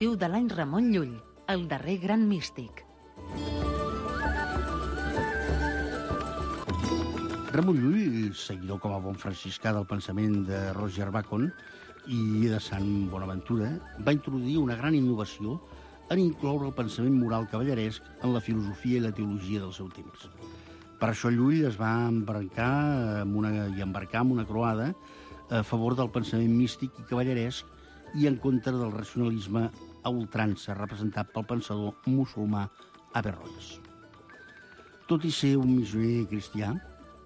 de l'any Ramon Llull, el darrer gran místic. Ramon Llull, seguidor com a bon franciscà del pensament de Roger Bacon i de Sant Bonaventura, va introduir una gran innovació en incloure el pensament moral cavalleresc en la filosofia i la teologia del seu temps. Per això Llull es va embarcar en una croada a favor del pensament místic i cavalleresc i en contra del racionalisme a ultrança representat pel pensador musulmà Averroès. Tot i ser un missioner cristià,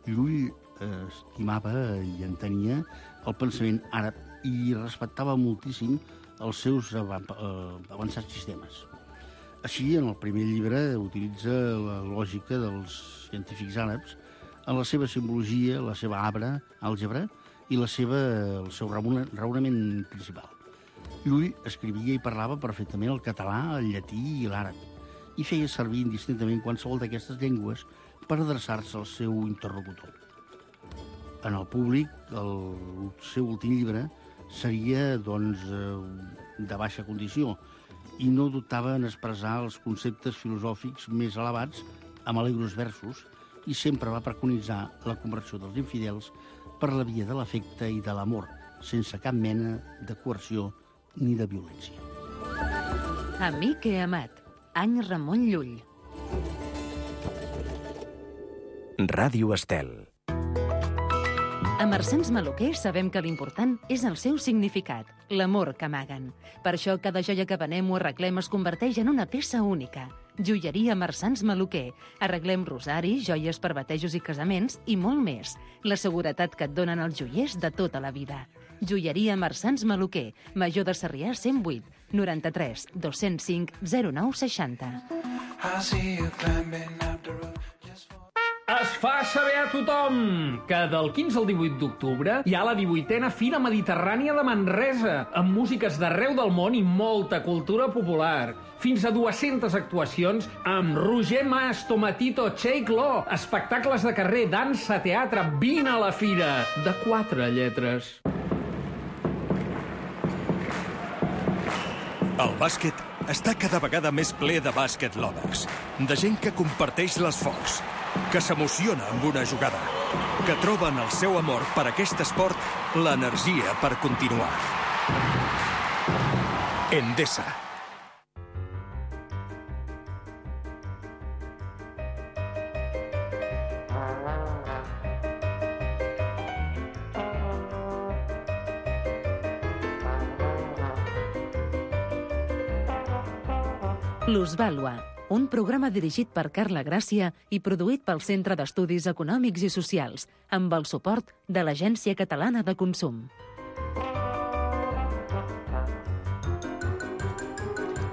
Llull estimava i entenia el pensament àrab i respectava moltíssim els seus avançats sistemes. Així, en el primer llibre, utilitza la lògica dels científics àrabs en la seva simbologia, la seva àlgebra i el seu raonament principal. Llull escrivia i parlava perfectament el català, el llatí i l'àrab i feia servir indistintament qualsevol d'aquestes llengües per adreçar-se al seu interlocutor. En el públic, el seu últim llibre seria, doncs, de baixa condició i no dubtava en expressar els conceptes filosòfics més elevats amb alegros versos i sempre va preconitzar la conversió dels infidels per la via de l'afecte i de l'amor, sense cap mena de coerció ni de violència. Amic he amat, any Ramon Llull. Ràdio Estel. A Marsans Maluquer sabem que l'important és el seu significat, l'amor que amaguen. Per això cada joia que venem o arreglem es converteix en una peça única. Joieria Marsans Maluquer. Arreglem rosaris, joies per batejos i casaments i molt més. La seguretat que et donen els joiers de tota la vida. Joieria Marsans Maluquer. Major de Sarrià 108 93 205 0960. Es fa saber a tothom que del 15 al 18 d'octubre hi ha la 18a Fira Mediterrània de Manresa, amb músiques d'arreu del món i molta cultura popular. Fins a 200 actuacions amb Roger Mas, Tomatito, Shake Law, espectacles de carrer, dansa, teatre. Vine a la fira, de 4 lletres. El bàsquet està cada vegada més ple de bàsquet lovers, de gent que comparteix l'esforç, que s'emociona amb una jugada, que troben el seu amor per aquest esport, l'energia per continuar. Endesa. Plusvàlua, un programa dirigit per Carla Gràcia i produït pel Centre d'Estudis Econòmics i Socials, amb el suport de l'Agència Catalana de Consum.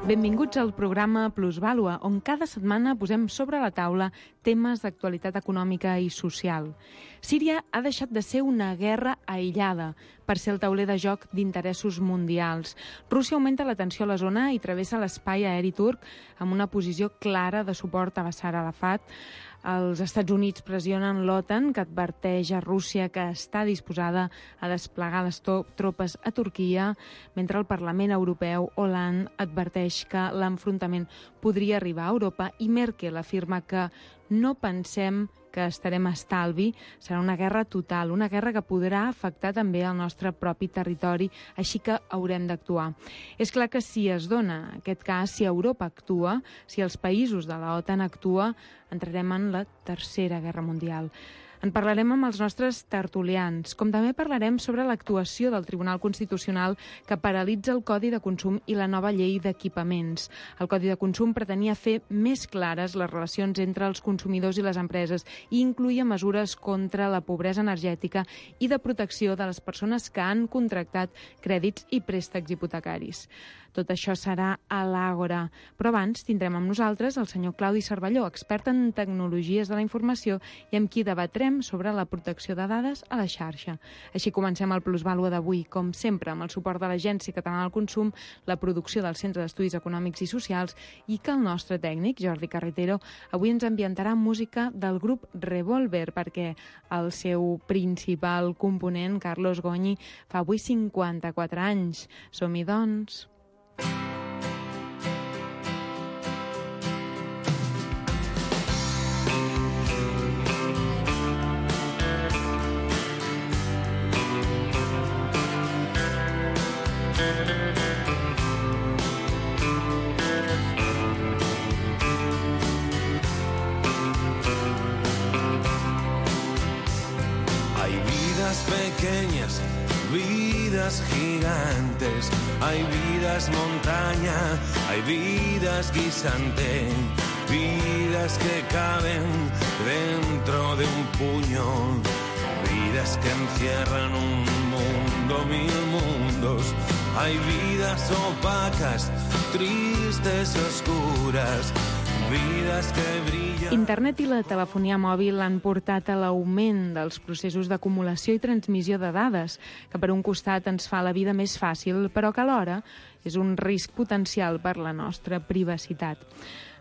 Benvinguts al programa Plusvàlua, on cada setmana posem sobre la taula temes d'actualitat econòmica i social. Síria ha deixat de ser una guerra aïllada per ser el tauler de joc d'interessos mundials. Rússia augmenta la tensió a la zona i travessa l'espai aeri turc amb una posició clara de suport a Bashar Arafat. Els Estats Units pressionen l'OTAN, que adverteix a Rússia que està disposada a desplegar les tropes a Turquia, mentre el Parlament Europeu, Hollande, adverteix que l'enfrontament podria arribar a Europa i Merkel afirma que no pensem que estarem a estalvi, serà una guerra total, una guerra que podrà afectar també el nostre propi territori, així que haurem d'actuar. És clar que si es dona aquest cas, si Europa actua, si els països de la OTAN actua, entrarem en la Tercera Guerra Mundial. En parlarem amb els nostres tertulians, com també parlarem sobre l'actuació del Tribunal Constitucional que paralitza el Codi de Consum i la nova llei d'equipaments. El Codi de Consum pretenia fer més clares les relacions entre els consumidors i les empreses i incloïa mesures contra la pobresa energètica i de protecció de les persones que han contractat crèdits i préstecs hipotecaris. Tot això serà a l'Àgora. Però abans tindrem amb nosaltres el senyor Claudi Cervelló, expert en tecnologies de la informació i amb qui debatrem sobre la protecció de dades a la xarxa. Així comencem el Plusvàlua d'avui, com sempre, amb el suport de l'Agència Catalana del Consum, la producció del Centre d'Estudis Econòmics i Socials i que el nostre tècnic, Jordi Carretero, avui ens ambientarà música del grup Revolver, perquè el seu principal component, Carlos Goñi, fa avui 54 anys. Som-hi, doncs. vidas gigantes, hay vidas montaña, hay vidas guisante, vidas que caben dentro de un puño, vidas que encierran un mundo, mil mundos. Hay vidas opacas, tristes, oscuras, vidas que brillan... Internet i la telefonia mòbil han portat a l'augment dels processos d'acumulació i transmissió de dades, que per un costat ens fa la vida més fàcil, però que alhora és un risc potencial per la nostra privacitat.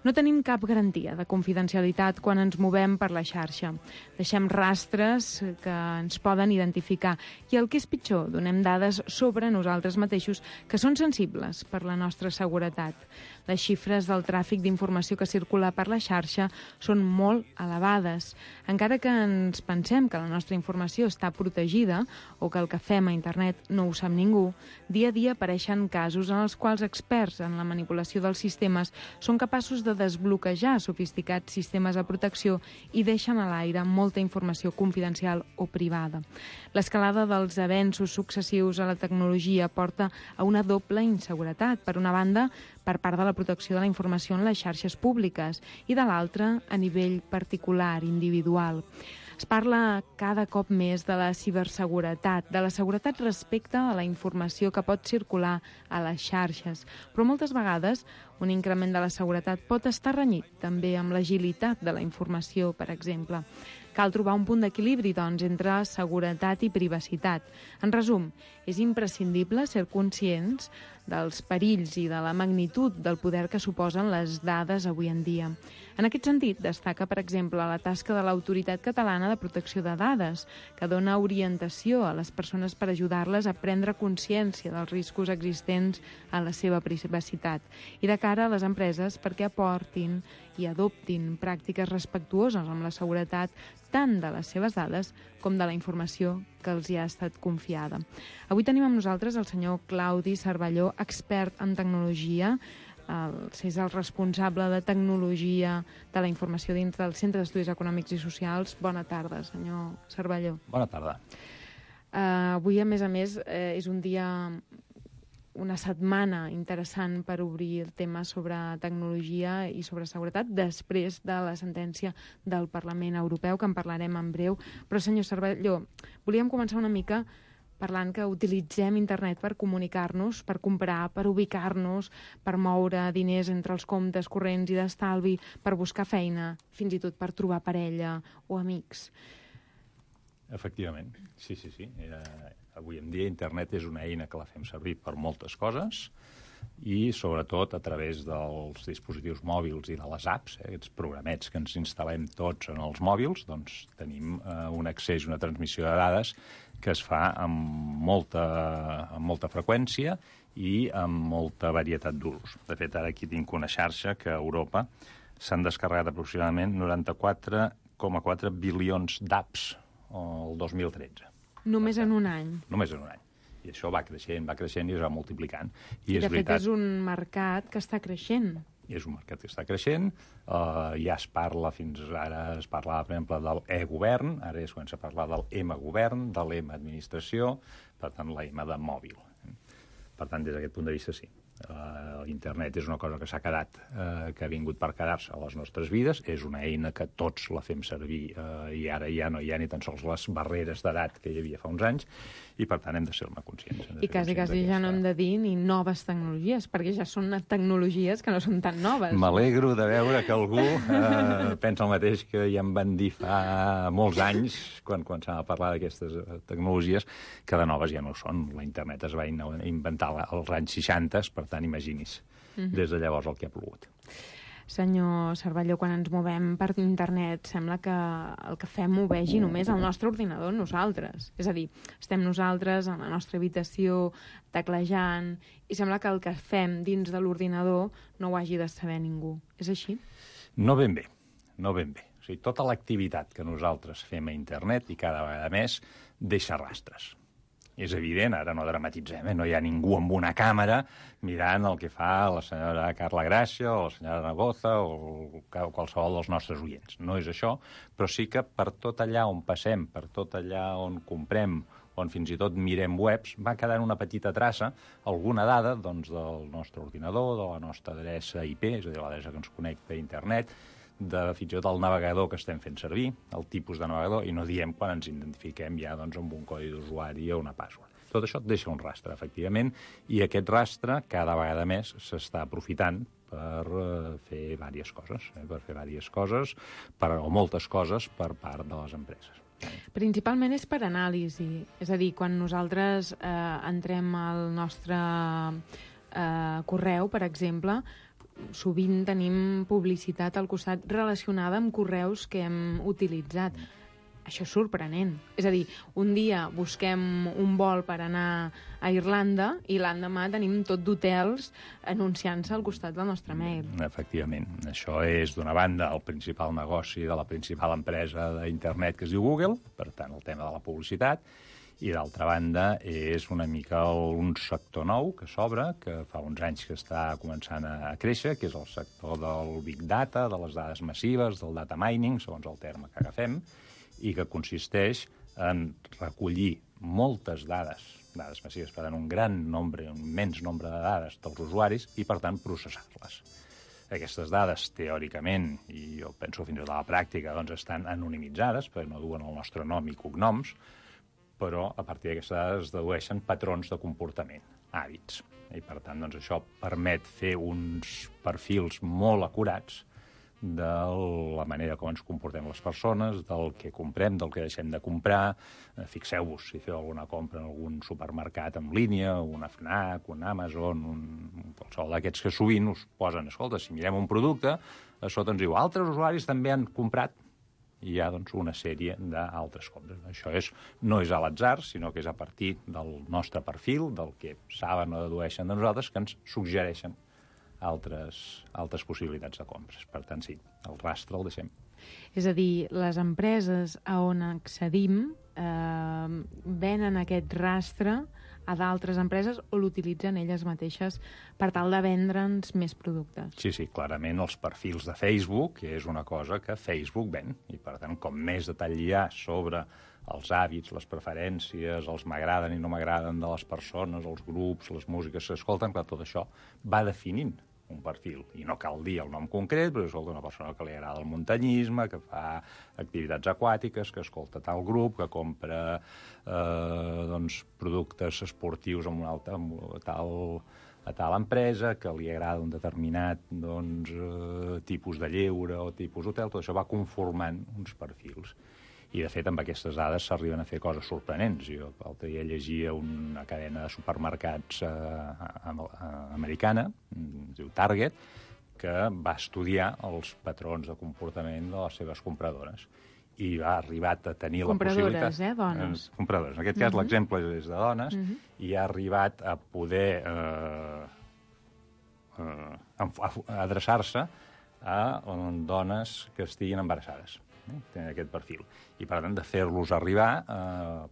No tenim cap garantia de confidencialitat quan ens movem per la xarxa. Deixem rastres que ens poden identificar i, el que és pitjor, donem dades sobre nosaltres mateixos que són sensibles per la nostra seguretat. Les xifres del tràfic d'informació que circula per la xarxa són molt elevades. Encara que ens pensem que la nostra informació està protegida o que el que fem a internet no ho sap ningú, dia a dia apareixen casos en els quals experts en la manipulació dels sistemes són capaços de desbloquejar sofisticats sistemes de protecció i deixen a l'aire molta informació confidencial o privada. L'escalada dels avenços successius a la tecnologia porta a una doble inseguretat. Per una banda, per part de la protecció de la informació en les xarxes públiques i de l'altra a nivell particular, individual. Es parla cada cop més de la ciberseguretat, de la seguretat respecte a la informació que pot circular a les xarxes, però moltes vegades un increment de la seguretat pot estar renyit també amb l'agilitat de la informació, per exemple. Cal trobar un punt d'equilibri, doncs, entre seguretat i privacitat. En resum, és imprescindible ser conscients dels perills i de la magnitud del poder que suposen les dades avui en dia. En aquest sentit, destaca, per exemple, la tasca de l'Autoritat Catalana de Protecció de Dades, que dona orientació a les persones per ajudar-les a prendre consciència dels riscos existents a la seva privacitat i de cara a les empreses perquè aportin i adoptin pràctiques respectuoses amb la seguretat tant de les seves dades com de la informació que els hi ha estat confiada. Avui tenim amb nosaltres el senyor Claudi Cervelló, expert en tecnologia, és el responsable de tecnologia de la informació dins del Centre d'Estudis Econòmics i Socials. Bona tarda, senyor Cervelló. Bona tarda. Avui, a més, és un dia, una setmana interessant per obrir el tema sobre tecnologia i sobre seguretat després de la sentència del Parlament Europeu, que en parlarem en breu. Però, senyor Cervelló, volíem començar una mica parlant que utilitzem internet per comunicar-nos, per comprar, per ubicar-nos, per moure diners entre els comptes corrents i d'estalvi, per buscar feina, fins i tot per trobar parella o amics. Efectivament, sí. Avui en dia internet és una eina que la fem servir per moltes coses i sobretot a través dels dispositius mòbils i de les apps, aquests programets que ens instal·lem tots en els mòbils, doncs tenim un accés, una transmissió de dades que es fa amb molta freqüència i amb molta varietat d'usos. De fet, ara aquí tinc una xarxa que a Europa s'han descarregat aproximadament 94,4 bilions d'apps el 2013. Només en un any. Només en un any. I això va creixent i es va multiplicant. I de fet és un mercat que està creixent. És un mercat que està creixent, ja es parla, fins ara es parlava, per exemple, del e-govern, ara és quan s'ha parlat del m-govern, de l'em-administració, per tant, la M de mòbil. Per tant, des d'aquest punt de vista, sí. Internet és una cosa que s'ha quedat, que ha vingut per quedar-se a les nostres vides, és una eina que tots la fem servir i ara ja no hi ha ni tan sols les barreres d'edat que hi havia fa uns anys i per tant hem de ser-ne conscients. I quasi ja no hem de dir ni noves tecnologies, perquè ja són tecnologies que no són tan noves. M'alegro de veure que algú pensa el mateix que ja em van dir fa molts anys, quan s'ha de parlar d'aquestes tecnologies, que de noves ja no són. La internet es va inventar als anys 60, per tant, imagini's, des de llavors el que ha plogut. Senyor Cervelló, quan ens movem per internet sembla que el que fem ho vegi només el nostre ordinador, nosaltres. És a dir, estem nosaltres en la nostra habitació teclejant i sembla que el que fem dins de l'ordinador no ho hagi de saber ningú. És així? No ben bé. O sigui, tota l'activitat que nosaltres fem a internet i cada vegada més deixa rastres. És evident, ara no dramatitzem, no hi ha ningú amb una càmera mirant el que fa la senyora Carla Gràcia o la senyora Nagoza o qualsevol dels nostres oients. No és això, però sí que per tot allà on passem, per tot allà on comprem, on fins i tot mirem webs, va quedant una petita traça, alguna dada doncs, del nostre ordinador, de la nostra adreça IP, és a dir, l'adreça que ens connecta a internet, fins i tot el navegador que estem fent servir, el tipus de navegador, i no diem quan ens identifiquem ja doncs, amb un codi d'usuari o una password. Tot això et deixa un rastre, efectivament, i aquest rastre cada vegada més s'està aprofitant per fer diverses coses, o moltes coses per part de les empreses. Principalment és per anàlisi, és a dir, quan nosaltres entrem al nostre correu, per exemple, sovint tenim publicitat al costat relacionada amb correus que hem utilitzat. Això és sorprenent. És a dir, un dia busquem un vol per anar a Irlanda i l'endemà tenim tot d'hotels anunciant-se al costat del nostre mail. Efectivament. Això és, d'una banda, el principal negoci de la principal empresa d'internet que es diu Google, per tant, el tema de la publicitat, i d'altra banda és una mica un sector nou que s'obre, que fa uns anys que està començant a créixer, que és el sector del Big Data, de les dades massives, del data mining, segons el terme que agafem, i que consisteix en recollir moltes dades massives, per tant, un immens nombre de dades dels usuaris i, per tant, processar-les. Aquestes dades, teòricament, i jo penso fins i tot a la pràctica, doncs estan anonimitzades, perquè no duen el nostre nom i cognoms, però a partir d'aquestes dades es dedueixen patrons de comportament, hàbits. I, per tant, doncs, això permet fer uns perfils molt acurats de la manera com ens comportem les persones, del que comprem, del que deixem de comprar. Fixeu-vos, si feu alguna compra en algun supermercat en línia, una FNAC, un Amazon, qualsevol d'aquests que sovint us posen, escolta, si mirem un producte, a sota ens diu, altres usuaris també han comprat, i hi ha doncs, una sèrie d'altres compres. Això no és a l'atzar, sinó que és a partir del nostre perfil, del que saben o dedueixen de nosaltres, que ens suggereixen altres possibilitats de compres. Per tant, sí, el rastre el deixem. És a dir, les empreses a on accedim venen aquest rastre a d'altres empreses o l'utilitzen elles mateixes per tal de vendre'ns més productes. Sí, clarament els perfils de Facebook és una cosa que Facebook ven, i per tant, com més detall hi ha sobre els hàbits, les preferències, els m'agraden i no m'agraden de les persones, els grups, les músiques que escolten, clar, tot això va definint un perfil. I no cal dir el nom concret, però és una persona que li agrada el muntanyisme, que fa activitats aquàtiques, que escolta tal grup, que compra productes esportius a tal empresa, que li agrada un determinat tipus de lleure o tipus hotel. Tot això va conformant uns perfils. I, de fet, amb aquestes dades s'arriben a fer coses sorprenents. Jo l'altre dia llegia una cadena de supermercats americana, es diu Target, que va estudiar els patrons de comportament de les seves compradores. I ha arribat a tenir la possibilitat... Compradores, dones. Compradores. En aquest cas, l'exemple és de dones, i ha arribat a poder adreçar-se a dones que estiguin embarassades. Tenen aquest perfil. I, per tant, de fer-los arribar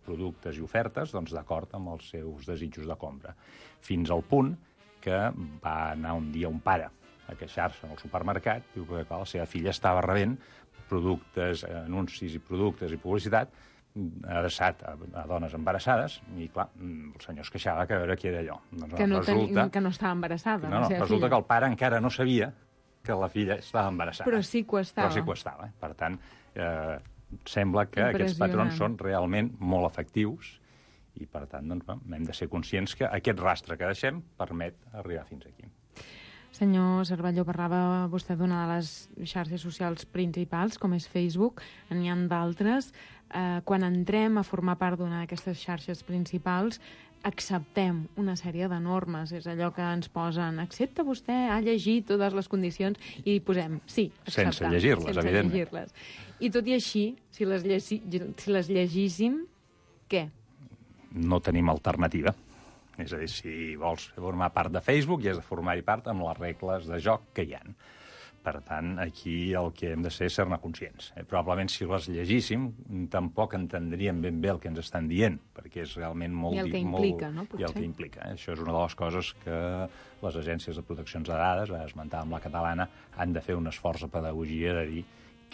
productes i ofertes d'acord amb els seus desitjos de compra. Fins al punt que va anar un dia un pare a queixar-se en el supermercat, diu que la seva filla estava rebent anuncis i productes i publicitat adreçat a dones embarassades, i, clar, el senyor es queixava que a veure què era allò. Que no estava embarassada. Resulta que el pare encara no sabia que la filla estava embarassada. Però sí que ho estava. Per tant, sembla que aquests patrons són realment molt efectius i, per tant, hem de ser conscients que aquest rastre que deixem permet arribar fins aquí. Senyor Cervelló, parlava vostè d'una de les xarxes socials principals, com és Facebook. N'hi ha d'altres. Quan entrem a formar part d'una d'aquestes xarxes principals, acceptem una sèrie de normes. És allò que ens posen, accepta vostè, ha llegit totes les condicions, i posem, sí, acceptar. Sense llegir-les, evidentment. I tot i així, si les llegíssim, què? No tenim alternativa. És a dir, si vols formar part de Facebook, hi has de formar-hi part amb les regles de joc que hi ha. Per tant, aquí el que hem de ser és ser-ne conscients. Probablement, si les llegíssim, tampoc entendríem ben bé el que ens estan dient, perquè és realment molt... I el que implica, no? I el que implica. Això és una de les coses que les agències de proteccions de dades, esmentàvem la catalana, han de fer un esforç de pedagogia de dir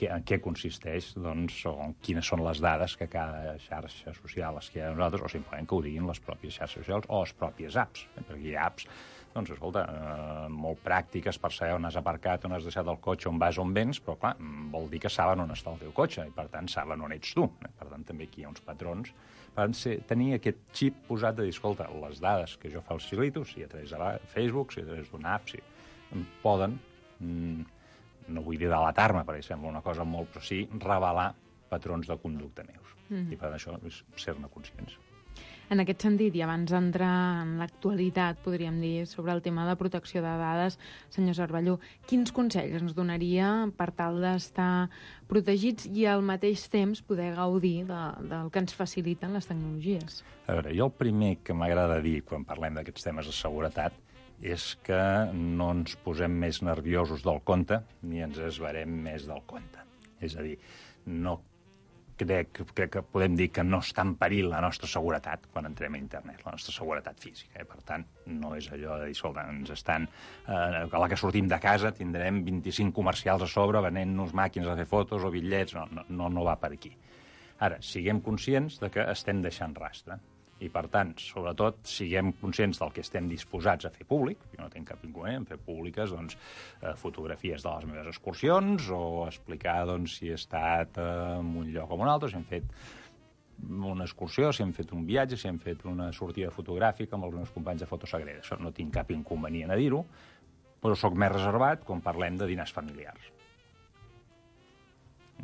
en què consisteix, doncs, o quines són les dades que cada xarxa social es queda a nosaltres, o simplement que ho diguin les pròpies xarxes socials o les pròpies apps, perquè hi ha apps, doncs, escolta, molt pràctiques per saber on has aparcat, on has deixat el cotxe, on vas, on vens, però, clar, vol dir que saben on està el teu cotxe, i, per tant, saben on ets tu. Per tant, també aquí hi ha uns patrons. Per tant, tenir aquest xip posat de dir, escolta, les dades que jo facilito, si a través de Facebook, si a través d'una app, si poden... no vull dir delatar-me, perquè sembla una cosa molt, però sí revelar patrons de conducta meus. I per això és ser-ne conscients. En aquest sentit, i abans d'entrar en l'actualitat, podríem dir, sobre el tema de protecció de dades, senyor Cervelló, quins consells ens donaria per tal d'estar protegits i al mateix temps poder gaudir del que ens faciliten les tecnologies? A veure, jo el primer que m'agrada dir quan parlem d'aquests temes de seguretat és que no ens posem més nerviosos del compte ni ens esverem més del compte. És a dir, no crec que podem dir que no està en perill la nostra seguretat quan entrem a internet, la nostra seguretat física. Per tant, no és allò de dir, escolta, ens estan... a la que sortim de casa tindrem 25 comercials a sobre venent-nos màquines a fer fotos o bitllets. No va per aquí. Ara, siguem conscients de que estem deixant rastre. I, per tant, sobretot, siguem conscients del que estem disposats a fer públic. Jo no tinc cap inconvenient en fer públiques fotografies de les meves excursions o explicar si he estat en un lloc o en un altre, si hem fet una excursió, si hem fet un viatge, si hem fet una sortida fotogràfica amb els meus companys de Fotosagrera. Això no tinc cap inconvenient a dir-ho, però sóc més reservat quan parlem de dinars familiars.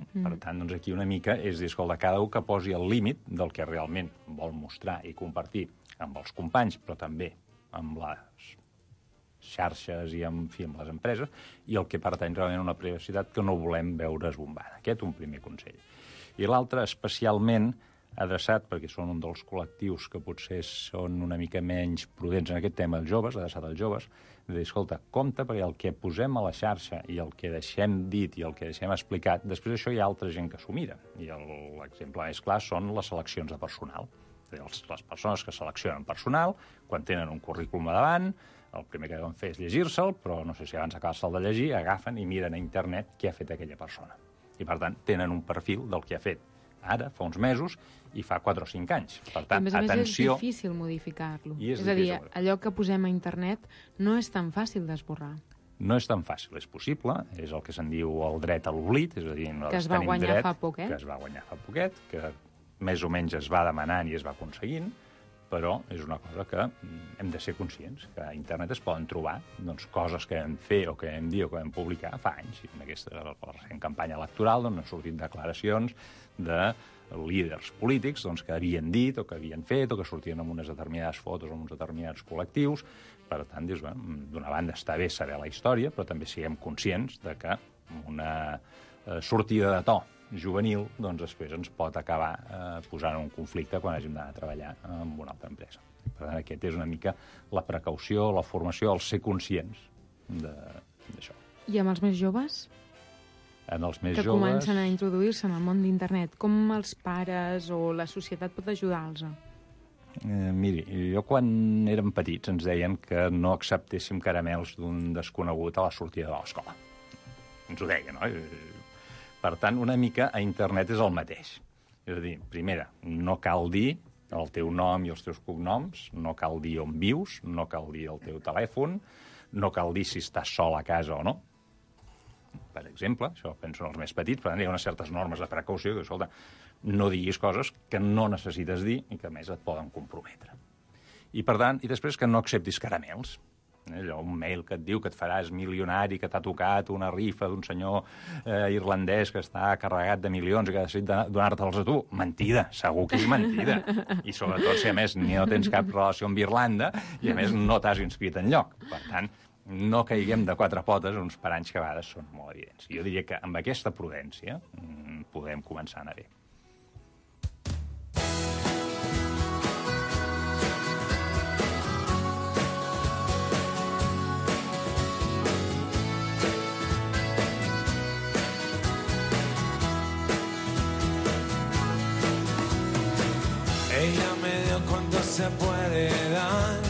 Per tant, doncs aquí una mica és dir, escolta, cada un que posi el límit del que realment vol mostrar i compartir amb els companys, però també amb les xarxes i amb les empreses, i el que pertany realment a una privacitat que no volem veure esbombada. Aquest un primer consell. I l'altre, especialment adreçat, perquè són un dels col·lectius que potser són una mica menys prudents en aquest tema, els joves, adreçat als joves, de dir, escolta, compte, perquè el que posem a la xarxa i el que deixem dit i el que deixem explicat, després d'això hi ha altra gent que s'ho mira. I l'exemple més clar són les seleccions de personal. És a dir, les persones que seleccionen personal, quan tenen un currículum a davant, el primer que deuen fer és llegir-se'l, però no sé si abans acabar-se'l de llegir, agafen i miren a internet què ha fet aquella persona. I, per tant, tenen un perfil del que ha fet ara, fa uns mesos, i fa 4 o 5 anys. Per tant, atenció... A més és difícil modificar-lo. És a dir, allò que posem a internet no és tan fàcil d'esborrar. No és tan fàcil, és possible, és el que se'n diu el dret a l'oblit, és a dir, que es va guanyar fa poquet. Que es va guanyar fa poquet, que més o menys es va demanant i es va aconseguint, però és una cosa que hem de ser conscients, que a internet es poden trobar coses que vam fer o que vam dir o que vam publicar fa anys. I en aquesta recent campanya electoral han sortit declaracions de líders polítics que havien dit o que havien fet o que sortien amb unes determinades fotos o amb uns determinats col·lectius. Per tant, d'una banda està bé saber la història, però també siguem conscients de que una sortida de to juvenil després ens pot acabar posant en un conflicte quan hàgim d'anar a treballar en una altra empresa. Per tant, aquest és una mica la precaució, la formació, el ser conscients d'això. I amb els més joves? En els més que joves... comencen a introduir-se en el món d'internet. Com els pares o la societat pot ajudar-los? Miri, jo quan érem petits ens deien que no acceptéssim caramels d'un desconegut a la sortida de l'escola. Ens ho deien, no? Per tant, una mica a internet és el mateix. És a dir, primera, no cal dir el teu nom i els teus cognoms, no cal dir on vius, no cal dir el teu telèfon, no cal dir si estàs sol a casa o no. Per exemple, això penso en els més petits, per tant, hi ha unes certes normes de precaució que, escolta, no diguis coses que no necessites dir i que, a més, et poden comprometre. I, per tant, i després que no acceptis caramels. Allò, un mail que et diu que et faràs milionari, que t'ha tocat una rifa d'un senyor irlandès que està carregat de milions i que ha decidit donar-te'ls a tu. Mentida, segur que és mentida. I sobretot si a més no tens cap relació amb Irlanda i a més no t'has inscrit enlloc. Per tant, no caiguem de 4 potes uns paranys que a vegades són molt evidents. Jo diria que amb aquesta prudència podem començar a anar bé. Ella me dio cuánto se puede dar,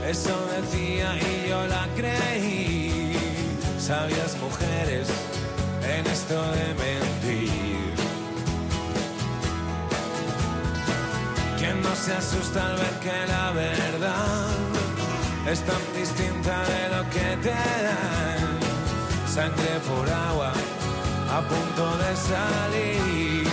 eso decía y yo la creí. Sabias mujeres en esto de mentir. ¿Quién no se asusta al ver que la verdad es tan distinta de lo que te dan? Sangre por agua, a punto de salir.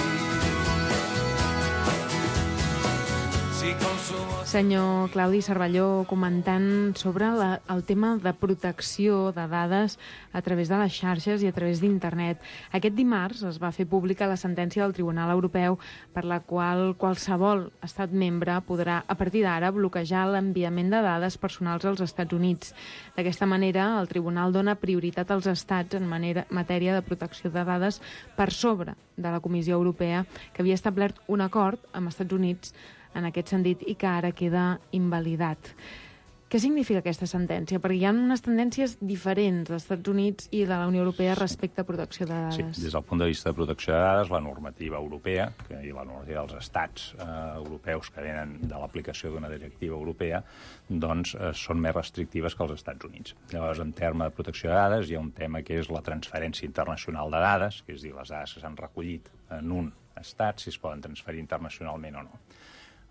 Si consumo... Senyor Claudi Cervelló, comentant sobre el tema de protecció de dades a través de les xarxes i a través d'internet. Aquest dimarts es va fer pública la sentència del Tribunal Europeu per la qual qualsevol estat membre podrà, a partir d'ara, bloquejar l'enviament de dades personals als Estats Units. D'aquesta manera, el Tribunal dona prioritat als estats en matèria de protecció de dades per sobre de la Comissió Europea, que havia establert un acord amb Estats Units en aquest sentit i que ara queda invalidat. Què significa aquesta sentència? Perquè hi ha unes tendències diferents dels Estats Units i de la Unió Europea respecte a protecció de dades. Sí, des del punt de vista de protecció de dades, la normativa europea i la normativa dels estats europeus que venen de l'aplicació d'una directiva europea doncs són més restrictives que els Estats Units. Llavors, en termes de protecció de dades, hi ha un tema que és la transferència internacional de dades, que és dir, les dades que s'han recollit en un estat, si es poden transferir internacionalment o no.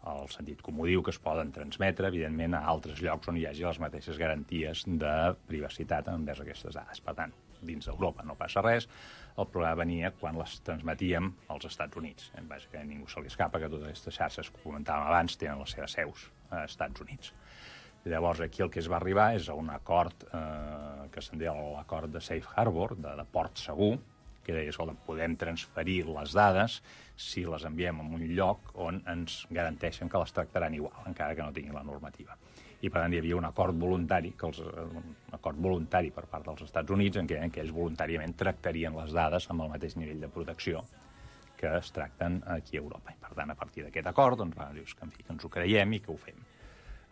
El sentit comú diu que es poden transmetre, evidentment, a altres llocs on hi hagi les mateixes garanties de privacitat envers aquestes dades. Per tant, dins d'Europa no passa res. El problema venia quan les transmetíem als Estats Units. Vaja, que a ningú se li escapa que totes aquestes xarxes que comentàvem abans tenen les seves seus als Estats Units. Llavors, aquí el que es va arribar és a un acord que se'n deia l'acord de Safe Harbor, de port segur, que deia, escolta, podem transferir les dades si les enviem a un lloc on ens garanteixen que les tractaran igual, encara que no tinguin la normativa. I, per tant, hi havia un acord voluntari, un acord voluntari per part dels Estats Units en què ells voluntàriament tractarien les dades amb el mateix nivell de protecció que es tracten aquí a Europa. I, per tant, a partir d'aquest acord, doncs, dius que, en fi, que ens ho creiem i que ho fem.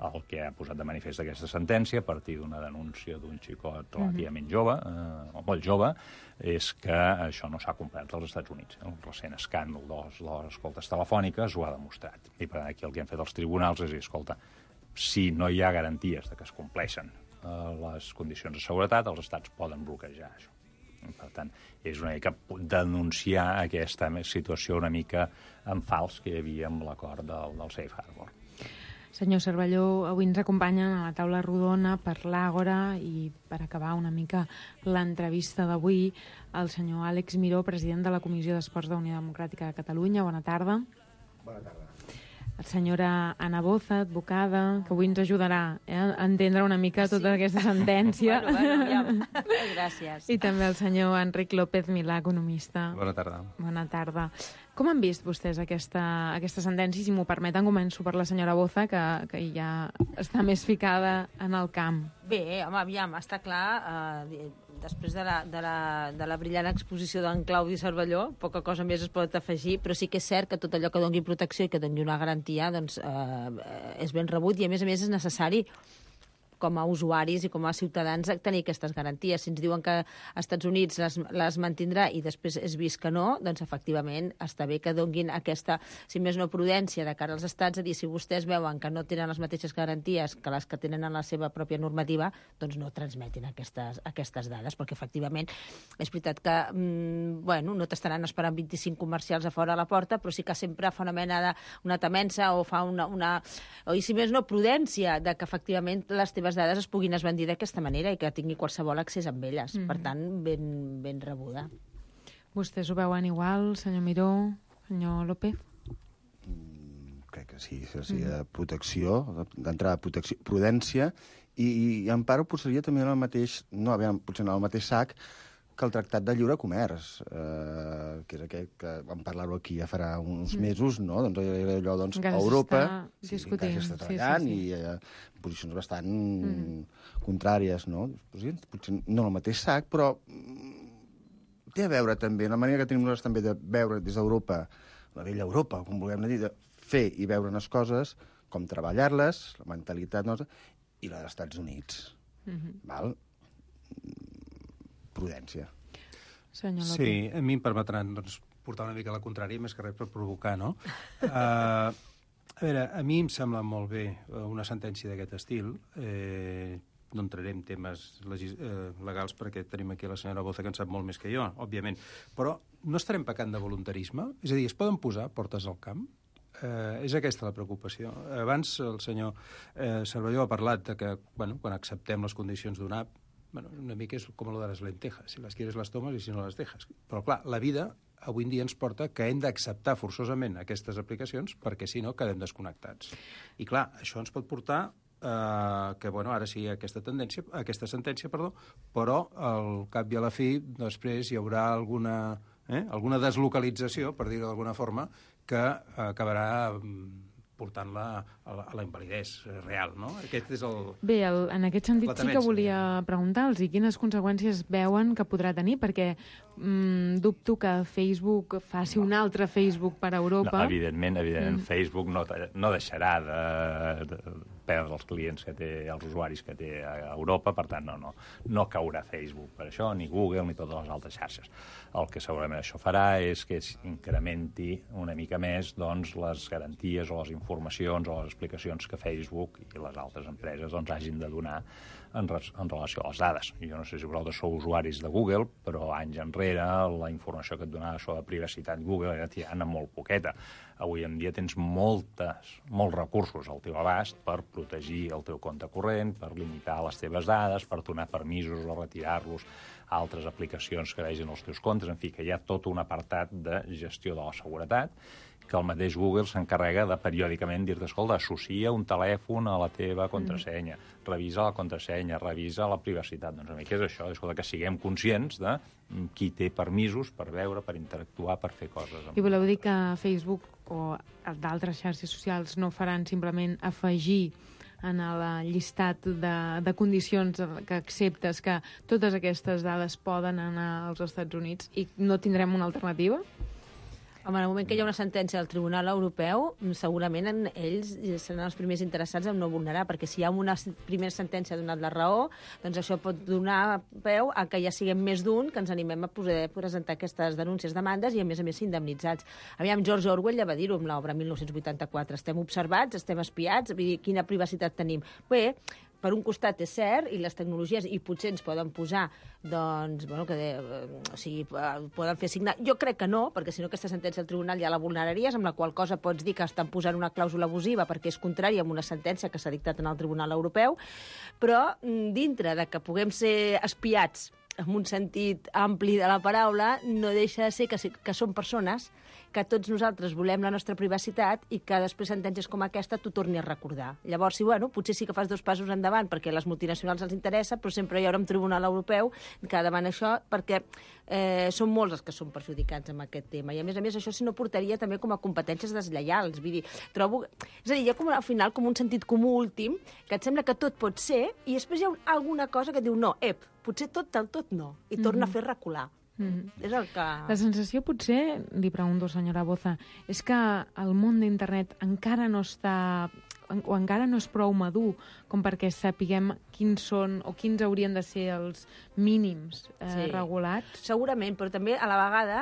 El que ha posat de manifest aquesta sentència, a partir d'una denúncia d'un xicot relativament jove, o molt jove, és que això no s'ha complert als Estats Units. El recent escàndol de les escoltes telefòniques ho ha demostrat. I per tant, aquí el que han fet els tribunals és dir, escolta, si no hi ha garanties de que es compleixen les condicions de seguretat, els estats poden bloquejar això. Per tant, és una mica denunciar aquesta situació una mica en fals que hi havia amb l'acord del Safe Harbor. Senyor Cervelló, avui ens acompanyen a la taula rodona per l'Àgora i per acabar una mica l'entrevista d'avui el senyor Àlex Miró, president de la Comissió d'Esports de Unió Democràtica de Catalunya. Bona tarda. Bona tarda. La senyora Ana Boza, advocada, que avui ens ajudarà a entendre una mica tota aquesta sentència. Bueno, ja. Gràcies. I també el senyor Enric López Milà, economista. Bona tarda. Bona tarda. Com han vist vostès aquesta sentència? Si m'ho permeten, començo per la senyora Boza, que ja està més ficada en el camp. Bé, home, aviam, està clar, després de la brillant exposició d'en Claudi Cervelló, poca cosa més es pot afegir, però sí que és cert que tot allò que doni protecció i que doni una garantia doncs, és ben rebut i, a més, és necessari com a usuaris i com a ciutadans tenir aquestes garanties. Si ens diuen que als Estats Units les mantindrà i després és vist que no, doncs efectivament està bé que donguin aquesta, si més no, prudència de cara als estats, a dir, si vostès veuen que no tenen les mateixes garanties que les que tenen en la seva pròpia normativa, doncs no transmetin aquestes dades, perquè efectivament és veritat que no t'estaran esperant 25 comercials a fora a la porta, però sí que sempre fa una mena d'una temença o fa o si més no, prudència de que efectivament les teves dades es puguin esbandir d'aquesta manera i que tingui qualsevol accés amb elles. Per tant, ben rebuda. Vostès ho veuen igual, senyor Miró, senyor López? Crec que sí. Protecció, d'entrada prudència, i en part ho posaria també en el mateix, potser en el mateix sac que el Tractat de Lliure Comerç, que és aquell que vam parlar-ho aquí ja farà uns mesos, no? Doncs allò, a Europa encara s'està treballant i posicions bastant contràries, no? Potser no el mateix sac, però té a veure també, la manera que tenim nosaltres també de veure des d'Europa, la vella Europa, com vulguem dir, de fer i veure unes coses, com treballar-les, la mentalitat nostra, i la dels Estats Units. Val? Prudència. Sí, a mi em permetran portar una mica a la contrària, més que res per provocar, no? A veure, a mi em sembla molt bé una sentència d'aquest estil. no entraré en temes legals perquè tenim aquí la senyora Boza, que en sap molt més que jo, òbviament, però no estarem pecant de voluntarisme? És a dir, es poden posar portes al camp? És aquesta la preocupació. Abans el senyor Cervelló ha parlat de que, bueno, quan acceptem les condicions d'una app, bueno, una mica és com lo de les lentejas. Si les quieres les tomes i si no les dejas. Però, clar, la vida avui en dia ens porta que hem d'acceptar forçosament aquestes aplicacions perquè, si no, quedem desconnectats. I, clar, això ens pot portar que, bueno, ara sí aquesta sentència, però al cap i a la fi després hi haurà alguna deslocalització, per dir-ho d'alguna forma, que acabarà portant-la a la invalidesa real, no? Aquest és el... Bé, en aquest sentit sí que volia preguntar-los quines conseqüències veuen que podrà tenir, perquè dubto que Facebook faci un altre Facebook per a Europa. No, evidentment, Facebook no deixarà de perdre els clients que té, els usuaris que té a Europa, per tant, no caurà Facebook per això, ni Google, ni totes les altres xarxes. El que segurament això farà és que incrementi una mica més, doncs, les garanties o les informacions o les explicacions que Facebook i les altres empreses hagin de donar en relació a les dades. Jo no sé si vosaltres sou usuaris de Google, però anys enrere la informació que et donava sobre privacitat Google era tirant molt poqueta. Avui en dia tens molts recursos al teu abast per protegir el teu compte corrent, per limitar les teves dades, per donar permisos o retirar-los a altres aplicacions que vegin els teus comptes. En fi, que hi ha tot un apartat de gestió de la seguretat que el mateix Google s'encarrega de periòdicament dir-te, escolta, associa un telèfon a la teva contrasenya, revisa la contrasenya, revisa la privacitat. Doncs a mi què és això? Escolta, que siguem conscients de qui té permisos per veure, per interactuar, per fer coses. I voleu dir que Facebook o d'altres xarxes socials no faran simplement afegir en el llistat de condicions que acceptes que totes aquestes dades poden anar als Estats Units i no tindrem una alternativa? Home, en el moment que hi ha una sentència del Tribunal Europeu, segurament ells seran els primers interessats en no vulnerar, perquè si hi ha una primera sentència donat la raó, doncs això pot donar peu a que ja siguem més d'un, que ens animem a poder presentar aquestes denúncies, demandes i, a més, indemnitzats. Aviam, George Orwell ja va dir-ho amb l'obra 1984. Estem observats, estem espiats, vull dir, quina privacitat tenim. Bé, per un costat és cert, i les tecnologies, i potser ens poden posar, doncs, bueno, poden fer signar... Jo crec que no, perquè si no aquesta sentència del tribunal ja la vulneraries, amb la qual cosa pots dir que estan posant una clàusula abusiva perquè és contrària amb una sentència que s'ha dictat en el Tribunal Europeu, però dintre de que puguem ser espiats en un sentit ampli de la paraula, no deixa de ser que són persones que tots nosaltres volem la nostra privacitat i que després sentències com aquesta t'ho torni a recordar. Llavors, sí, bueno, potser sí que fas 2 passos endavant perquè a les multinacionals els interessa, però sempre hi haurà un tribunal europeu que demana això perquè són molts els que són perjudicats amb aquest tema. I, a més, això sí no portaria també com a competències deslleials. Vull dir, trobo... És a dir, hi ha com, al final com un sentit comú últim que et sembla que tot pot ser i després hi ha alguna cosa que diu no, potser tot del tot no, i torna a fer recular. És el que... La sensació potser, li pregunto, senyora Boza, és que el món d'internet encara no està o encara no és prou madur com perquè sapiguem quins són o quins haurien de ser els mínims regulats. Segurament, però també a la vegada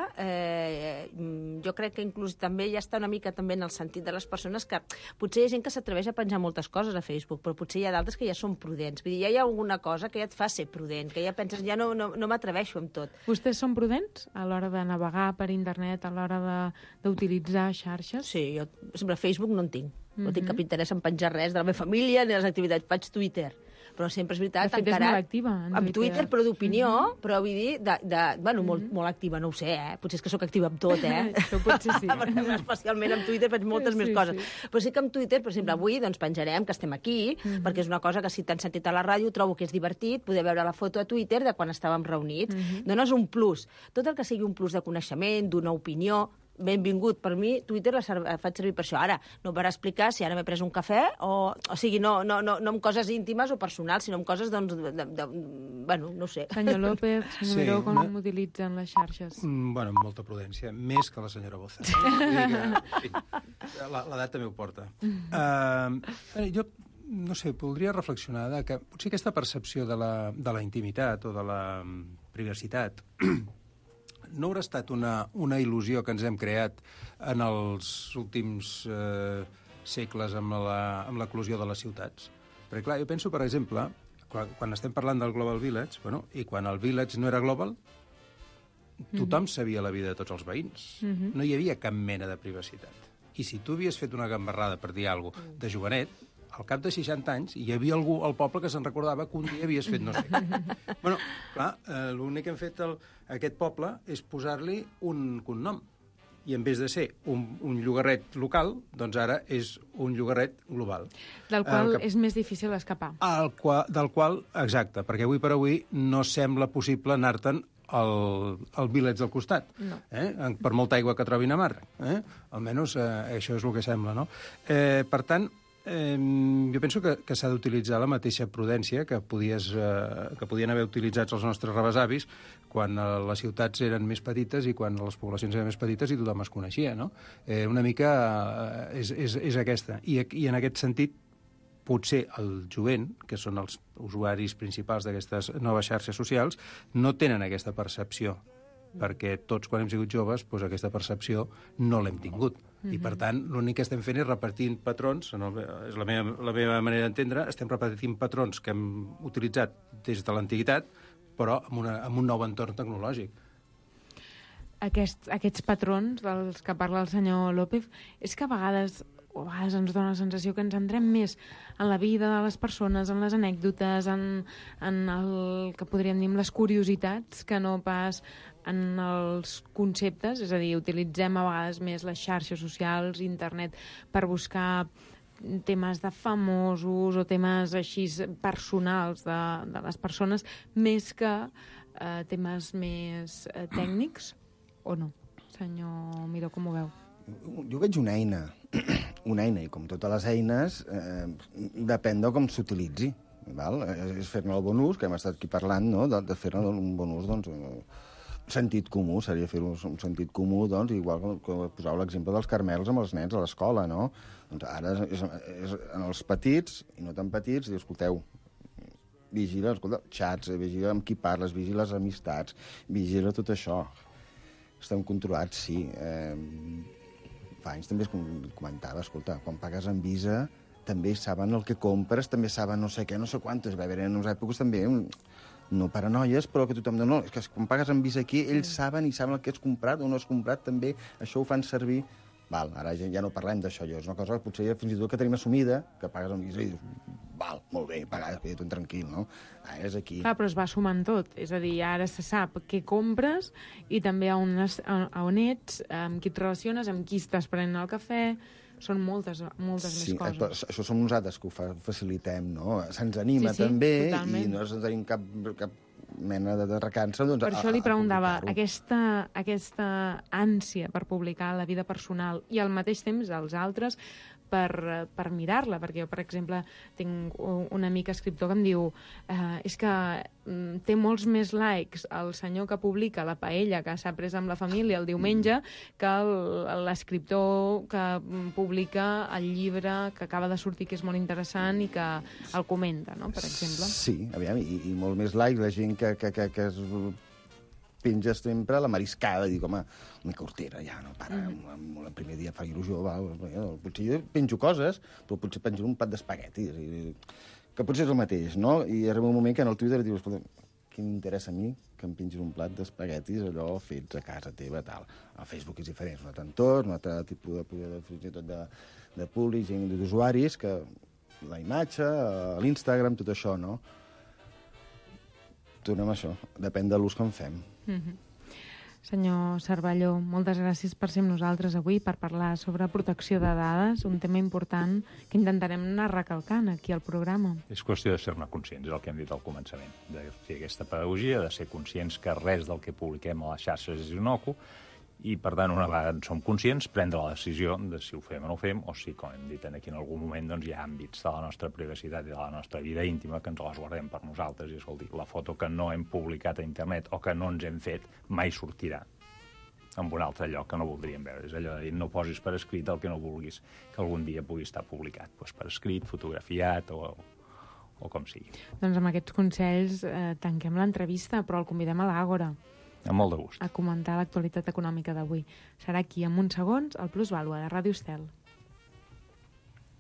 jo crec que inclús també ja està una mica també en el sentit de les persones que potser hi ha gent que s'atreveix a penjar moltes coses a Facebook, però potser hi ha d'altres que ja són prudents. Vull dir, ja hi ha alguna cosa que ja et fa ser prudent, que ja penses, ja no m'atreveixo amb tot. Vostès són prudents a l'hora de navegar per internet, a l'hora d'utilitzar xarxes? Sí, jo, per exemple, Facebook no en tinc. No tinc cap interès en penjar res de la meva família ni de les activitats. Faig Twitter. Però sempre és veritat, de fet, encara... és molt activa en Twitter, però d'opinió, però vull dir, bueno, molt activa, no ho sé, Potser és que sóc activa amb tot, Això potser sí. Especialment amb Twitter faig moltes més coses. Sí. Però sí que amb Twitter, per exemple, avui doncs penjarem que estem aquí, perquè és una cosa que si t'han sentit a la ràdio trobo que és divertit poder veure la foto a Twitter de quan estàvem reunits. Dones un plus. Tot el que sigui un plus de coneixement, d'una opinió, benvingut. Per mi, Twitter la faig servir per això. Ara, no per explicar si ara m'he pres un cafè, o sigui, no amb coses íntimes o personals, sinó amb coses, doncs, bueno, no sé. Senyor López, senyor Miró, com utilitzen les xarxes? Bueno, amb molta prudència, més que la senyora Boza. L'edat també ho porta. Jo, no sé, voldria reflexionar que potser aquesta percepció de la intimitat o de la privacitat no haurà estat una il·lusió que ens hem creat en els últims segles amb l'eclosió de les ciutats. Perquè, clar, jo penso, per exemple, quan estem parlant del Global Village, bueno, i quan el Village no era global, tothom sabia la vida de tots els veïns. No hi havia cap mena de privacitat. I si tu havies fet una gambarrada, per dir alguna cosa, de jovenet, al cap de 60 anys hi havia algú al poble que se'n recordava que un dia havies fet no sé què. Bueno, clar, l'únic que hem fet aquest poble és posar-li un cognom. I en vez de ser un llogarret local, doncs ara és un llogarret global. Del qual és més difícil escapar. Del qual, exacte, perquè avui per avui no sembla possible anar-te'n al village del costat, per molta aigua que trobin a mar. Almenys això és el que sembla, no? Per tant, jo penso que s'ha d'utilitzar la mateixa prudència que podien haver utilitzat els nostres rebesavis quan les ciutats eren més petites i quan les poblacions eren més petites i tothom es coneixia, no? Una mica és aquesta. I en aquest sentit, potser el jovent, que són els usuaris principals d'aquestes noves xarxes socials, no tenen aquesta percepció, perquè tots, quan hem sigut joves, doncs aquesta percepció no l'hem tingut. I, per tant, l'únic que estem fent és repartint patrons, és la meva manera d'entendre, estem repartint patrons que hem utilitzat des de l'antiguitat, però amb un nou entorn tecnològic. Aquests patrons dels que parla el senyor López, és que a vegades ens dona la sensació que ens entrem més en la vida de les persones, en les anècdotes, en el que podríem dir les curiositats, que no pas en els conceptes, és a dir, utilitzem a vegades més les xarxes socials, internet, per buscar temes de famosos o temes així personals de les persones, més que temes més tècnics, o no? Senyor Miró, com ho veu? Jo veig una eina, i com totes les eines, depèn de com s'utilitzi. És fer-ne el bon ús, que hem estat aquí parlant, no? De fer-ne un bon ús, doncs, sentit comú, seria fer-ho un sentit comú, doncs, igual que posau l'exemple dels carmels amb els nens a l'escola, no? Doncs ara és en els petits, i no tan petits, diu, escolteu, vigila, xats, vigila amb qui parles, vigila les amistats, vigila tot això. Estem controlats, sí. Fa anys també es comentava, escolta, quan pagues amb Visa també saben el que compres, també saben no sé què, no sé quantes. Va haver en unes èpoques també, no paranoies, però que tothom diu, no, és que quan pagues amb Visa aquí, ells saben i saben el que has comprat o no has comprat, també això ho fan servir. Ara ja no parlem d'això, és una cosa que potser fins i tot que tenim assumida, que pagues amb Visa i dius, molt bé, pagar, tot tranquil, no? És aquí. Clar, però es va sumant tot, és a dir, ara se sap què compres i també a on ets, amb qui et relaciones, amb qui estàs prenent el cafè, són moltes més coses. Sí, això som nosaltres que ho facilitem, no? Se'ns anima també totalment. I no tenim cap mena de recança. Doncs, per això li preguntava, aquesta ànsia per publicar la vida personal i al mateix temps els altres per mirar-la, perquè jo, per exemple, tinc un amic escriptor que em diu és que té molts més likes el senyor que publica la paella que s'ha pres amb la família el diumenge que l'escriptor que publica el llibre que acaba de sortir, que és molt interessant i que el comenta, no?, per exemple. Sí, aviam, i molt més likes, la gent que es penja sempre la mariscada, dic, home, una cortera, ja, no para, el primer dia fa il·lusió, potser jo penjo coses, però potser penjo un pat d'espaguetis, que potser és el mateix, no? I arriba un moment que en el Twitter dius, escolta, què m'interessa a mi que em pengis un plat d'espaguetis, allò fets a casa teva, tal. El Facebook és diferent, és un altre entorn, un altre tipus de públic, gent d'usuaris, que la imatge, l'Instagram, tot això, no? Tornem a això, depèn de l'ús que en fem. Senyor Cervelló, moltes gràcies per ser amb nosaltres avui, per parlar sobre protecció de dades, un tema important que intentarem anar recalcant aquí al programa. És qüestió de ser-ne conscients, és el que hem dit al començament, de fer aquesta pedagogia, de ser conscients que res del que publiquem a les xarxes és inocu, i, per tant, una vegada en som conscients, prendre la decisió de si ho fem o no ho fem, o si, com hem dit aquí en algun moment, doncs hi ha àmbits de la nostra privacitat i de la nostra vida íntima que ens les guardem per nosaltres. I, escolti, la foto que no hem publicat a internet o que no ens hem fet mai sortirà en un altre lloc que no voldríem veure. És allò de dir, no posis per escrit el que no vulguis que algun dia pugui estar publicat. Doncs per escrit, fotografiat o com sigui. Doncs amb aquests consells tanquem l'entrevista, però el convidem a l'Àgora. Amb molt de gust. A comentar l'actualitat econòmica d'avui. Serà aquí, en uns segons, al Plusvàlua de Ràdio Estel.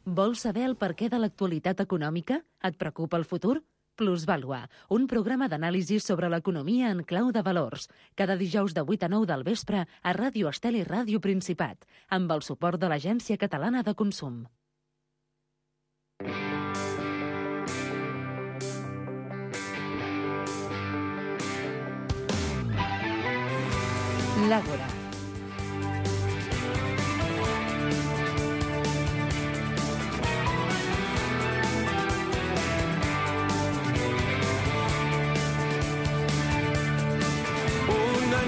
Vols saber el perquè de l'actualitat econòmica? Et preocupa el futur? Plusvàlua, un programa d'anàlisi sobre l'economia en clau de valors. Cada dijous de 8 a 9 del vespre a Ràdio Estel i Ràdio Principat, amb el suport de l'Agència Catalana de Consum. L'Àgora.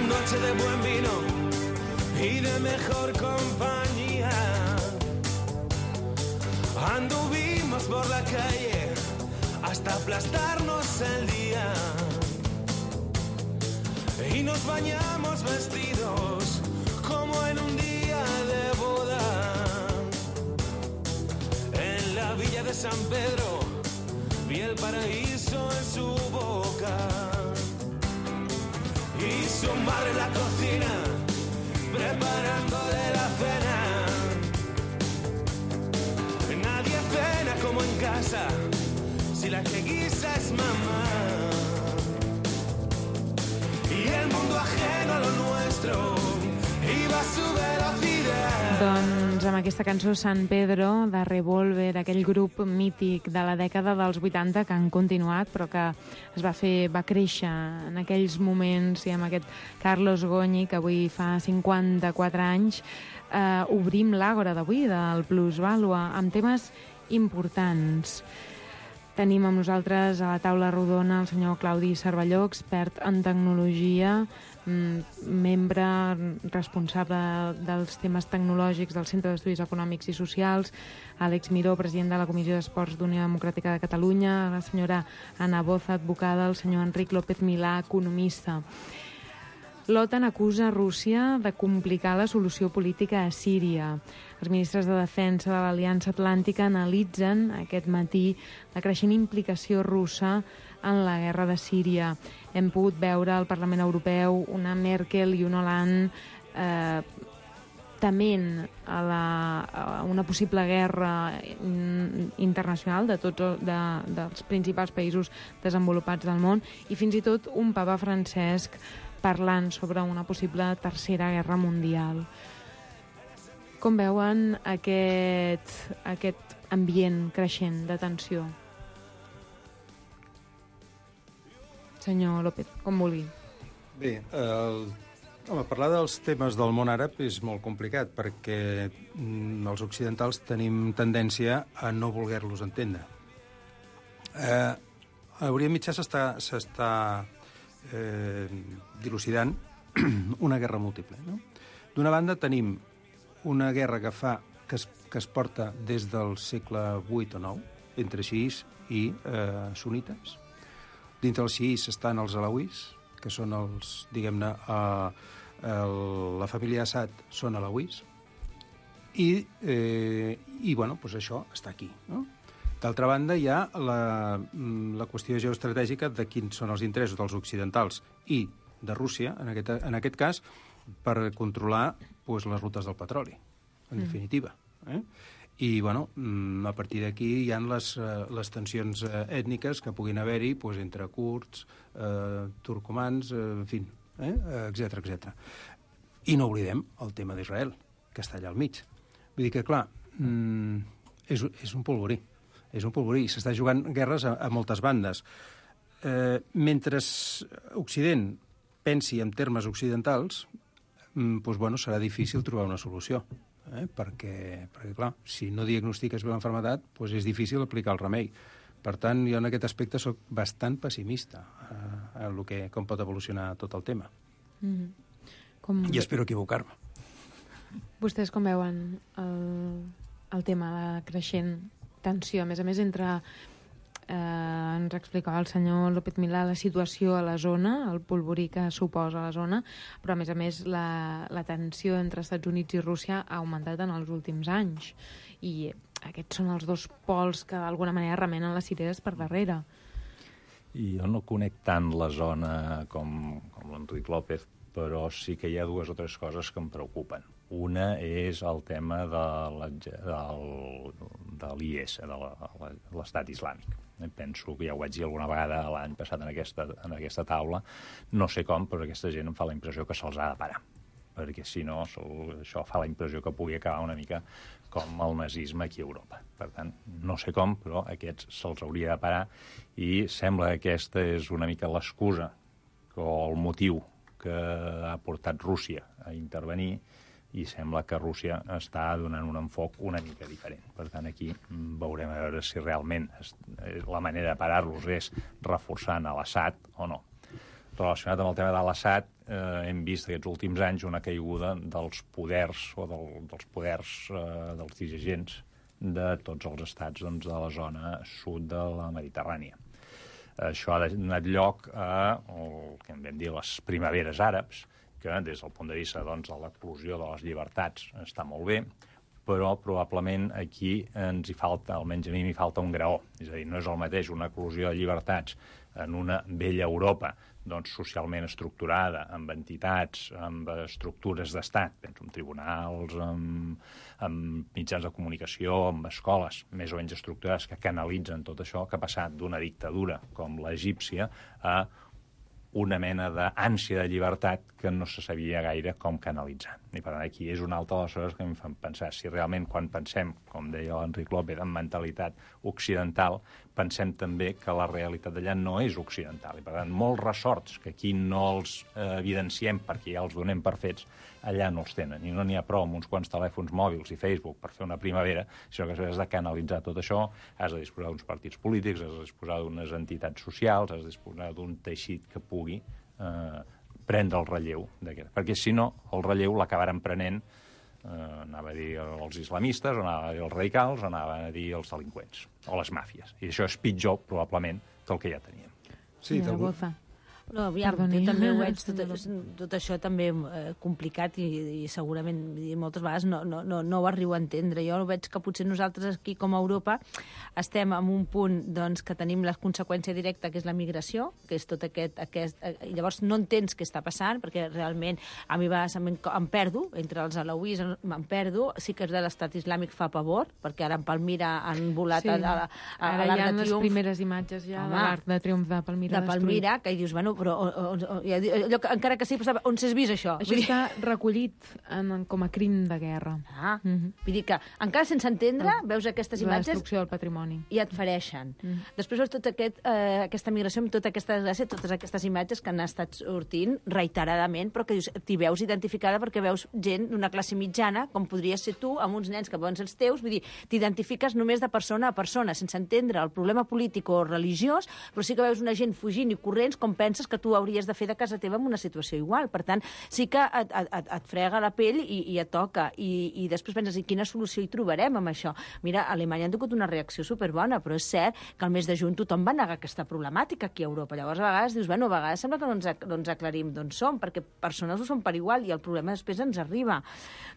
Noche de buen vino y de mejor compañía. Anduvimos por la calle hasta aplastarnos el día. Y nos bañamos vestidos como en un día de boda. En la villa de San Pedro vi el paraíso en su boca. Y su madre en la cocina, preparándole la cena. Nadie cena como en casa, si la que guisa es mamá. Y el mundo ajeno a lo nuestro iba a su velocidad. Doncs amb aquesta cançó San Pedro, de Revolver, aquell grup mític de la dècada dels 80 que han continuat, però que va créixer en aquells moments, i amb aquest Carlos Goñi, que avui fa 54 anys, obrim l'Àgora d'avui del Plusvàlua amb temes importants. Tenim amb nosaltres a la taula rodona el senyor Claudi Cervelló, expert en tecnologia, membre responsable dels temes tecnològics del Centre d'Estudis Econòmics i Socials, Àlex Miró, president de la Comissió d'Esports d'Unió Democràtica de Catalunya, la senyora Ana Boza, advocada, el senyor Enric López Milà, economista. L'OTAN acusa Rússia de complicar la solució política a Síria. Els ministres de Defensa de l'Aliança Atlàntica analitzen aquest matí la creixent implicació russa en la guerra de Síria. Hem pogut veure al Parlament Europeu una Merkel i un Hollande tement a una possible guerra internacional dels principals països desenvolupats del món, i fins i tot un papa Francesc parlant sobre una possible tercera guerra mundial. Com veuen aquest ambient creixent de tensió? Senyor López, com vulgui. Bé, parlar dels temes del món àrab és molt complicat perquè els occidentals tenim tendència a no voler-los entendre. A Orient Mitjà s'està dilucidant una guerra múltiple. No? D'una banda tenim una guerra que es porta des del segle VIII o IX entre xiís i sunites. Dintre els xiís estan els alauís, que són els, diguem-ne, la família Assad són alauís, i bueno, doncs això està aquí, no? D'altra banda, hi ha la qüestió geoestratègica de quins són els interessos dels occidentals i de Rússia, en aquest cas, per controlar les rutes del petroli, en definitiva. I, bueno, a partir d'aquí hi ha les tensions ètniques que puguin haver-hi entre kurds, turcomans, en fi, etc. I no oblidem el tema d'Israel, que està allà al mig. Vull dir que, clar, és un polvorí. És un polvorí, s'està jugant guerres a moltes bandes. Mentre Occident pensi en termes occidentals, doncs, bueno, serà difícil trobar una solució. Perquè, clar, si no diagnostiques bé l'enfermetat, doncs és difícil aplicar el remei. Per tant, jo en aquest aspecte soc bastant pessimista com pot evolucionar tot el tema. I espero equivocar-me. Vostès com veuen el tema de creixent tensió, a més entre ens explicava el senyor López Milà la situació a la zona, el polvorí que suposa la zona, però a més la tensió entre Estats Units i Rússia ha augmentat en els últims anys, i aquests són els dos pols que d'alguna manera remenen les cireres per darrere. I jo no conec tant la zona com l'Enric López, però sí que hi ha dues o tres coses que em preocupen. Una és el tema l'IS, de l'Estat Islàmic. Penso que ja ho vaig dir alguna vegada l'any passat en aquesta taula, no sé com, però aquesta gent em fa la impressió que se'ls ha de parar, perquè si no, això fa la impressió que pugui acabar una mica com el nazisme aquí a Europa. Per tant, no sé com, però aquests se'ls hauria de parar i sembla que aquesta és una mica l'excusa o el motiu que ha portat Rússia a intervenir i sembla que Rússia està donant un enfoc una mica diferent. Per tant, aquí veurem a veure si realment la manera de parar-los és reforçant a l'Assad o no. Relacionat amb el tema de l'Assad, hem vist aquests últims anys una caiguda dels poders o dels poders dels dirigents de tots els estats de la zona sud de la Mediterrània. Això ha donat lloc a el que en vam dir les primaveres àrabs, que des del punt de vista de l'eclosió de les llibertats està molt bé, però probablement aquí ens hi falta, almenys a mi m'hi falta un graó. És a dir, no és el mateix una eclosió de llibertats en una vella Europa socialment estructurada, amb entitats, amb estructures d'estat, penso en tribunals, amb mitjans de comunicació, amb escoles més o menys estructurades que canalitzen tot això, que ha passat d'una dictadura com l'egípcia a una mena d'ànsia de llibertat que no se sabia gaire com canalitzar. I per tant, aquí és una altra de les coses que em fan pensar si realment quan pensem, com deia l'Enric López, en mentalitat occidental, pensem també que la realitat d'allà no és occidental. I per tant, molts ressorts que aquí no els evidenciem perquè ja els donem per fets, allà no els tenen. I no n'hi ha prou amb uns quants telèfons mòbils i Facebook per fer una primavera, sinó que has de canalitzar tot això, has de disposar d'uns partits polítics, has de disposar d'unes entitats socials, has de disposar d'un teixit que pugui prendre el relleu d'aquest. Perquè si no, el relleu l'acabaran prenent, anava a dir els islamistes, o anava a dir els radicals, o anava a dir els delinqüents, o les màfies. I això és pitjor, probablement, que el que ja teníem. Sí, Boza. No, aviam, jo també ho veig, tot això també complicat i segurament moltes vegades no ho arribo a entendre. Jo veig que potser nosaltres aquí com a Europa estem en un punt que tenim la conseqüència directa, que és la migració, que és tot aquest... I llavors no entens què està passant, perquè realment a mi em perdo, entre els alauís em perdo, sí que és de l'Estat Islàmic fa pavor, perquè ara en Palmira han volat a l'Arc de Triomf. Ara hi ha les primeres imatges ja de l'Arc de Triomf de Palmira. De Palmira, que dius, bueno, però allò, encara que sí, però on s'has vist això? Això està recollit com a crim de guerra. Vull dir que encara sense entendre veus aquestes imatges... La destrucció del patrimoni. I et fereixen. Després veus tota aquesta migració amb tota aquesta desgràcia, totes aquestes imatges que han estat sortint reiteradament, però que t'hi veus identificada perquè veus gent d'una classe mitjana, com podries ser tu, amb uns nens que poden ser els teus, vull dir, t'identifiques només de persona a persona, sense entendre el problema polític o religiós, però sí que veus una gent fugint i corrents com penses que tu hauries de fer de casa teva en una situació igual. Per tant, sí que et frega la pell i et toca. I després penses, quina solució hi trobarem amb això? Mira, a Alemanya han tingut una reacció superbona, però és cert que al mes de juny tothom va negar aquesta problemàtica aquí a Europa. Llavors, a vegades dius, bueno, a vegades sembla que no ens aclarim d'on som, perquè persones ho són per igual i el problema després ens arriba.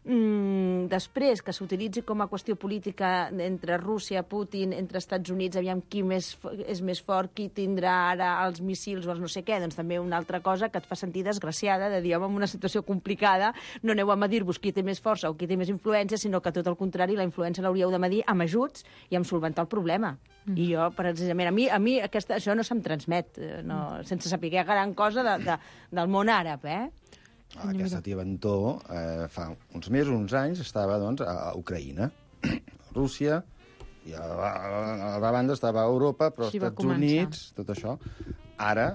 Després, que s'utilitzi com a qüestió política entre Rússia, Putin, entre Estats Units, aviam qui és més fort, qui tindrà ara els míssils o els no sé què, doncs també una altra cosa que et fa sentir desgraciada, de dir, home, en una situació complicada no aneu a medir-vos qui té més força o qui té més influència, sinó que tot el contrari, la influència l'hauríeu de medir amb ajuts i amb solventar el problema. I jo, precisament, a mi això no se'm transmet, sense saber gran cosa del món àrab, Aquesta tia Ventó, fa uns mesos, uns anys, estava a Ucraïna, Rússia, i a la banda estava a Europa, però als Estats Units, tot això. Ara,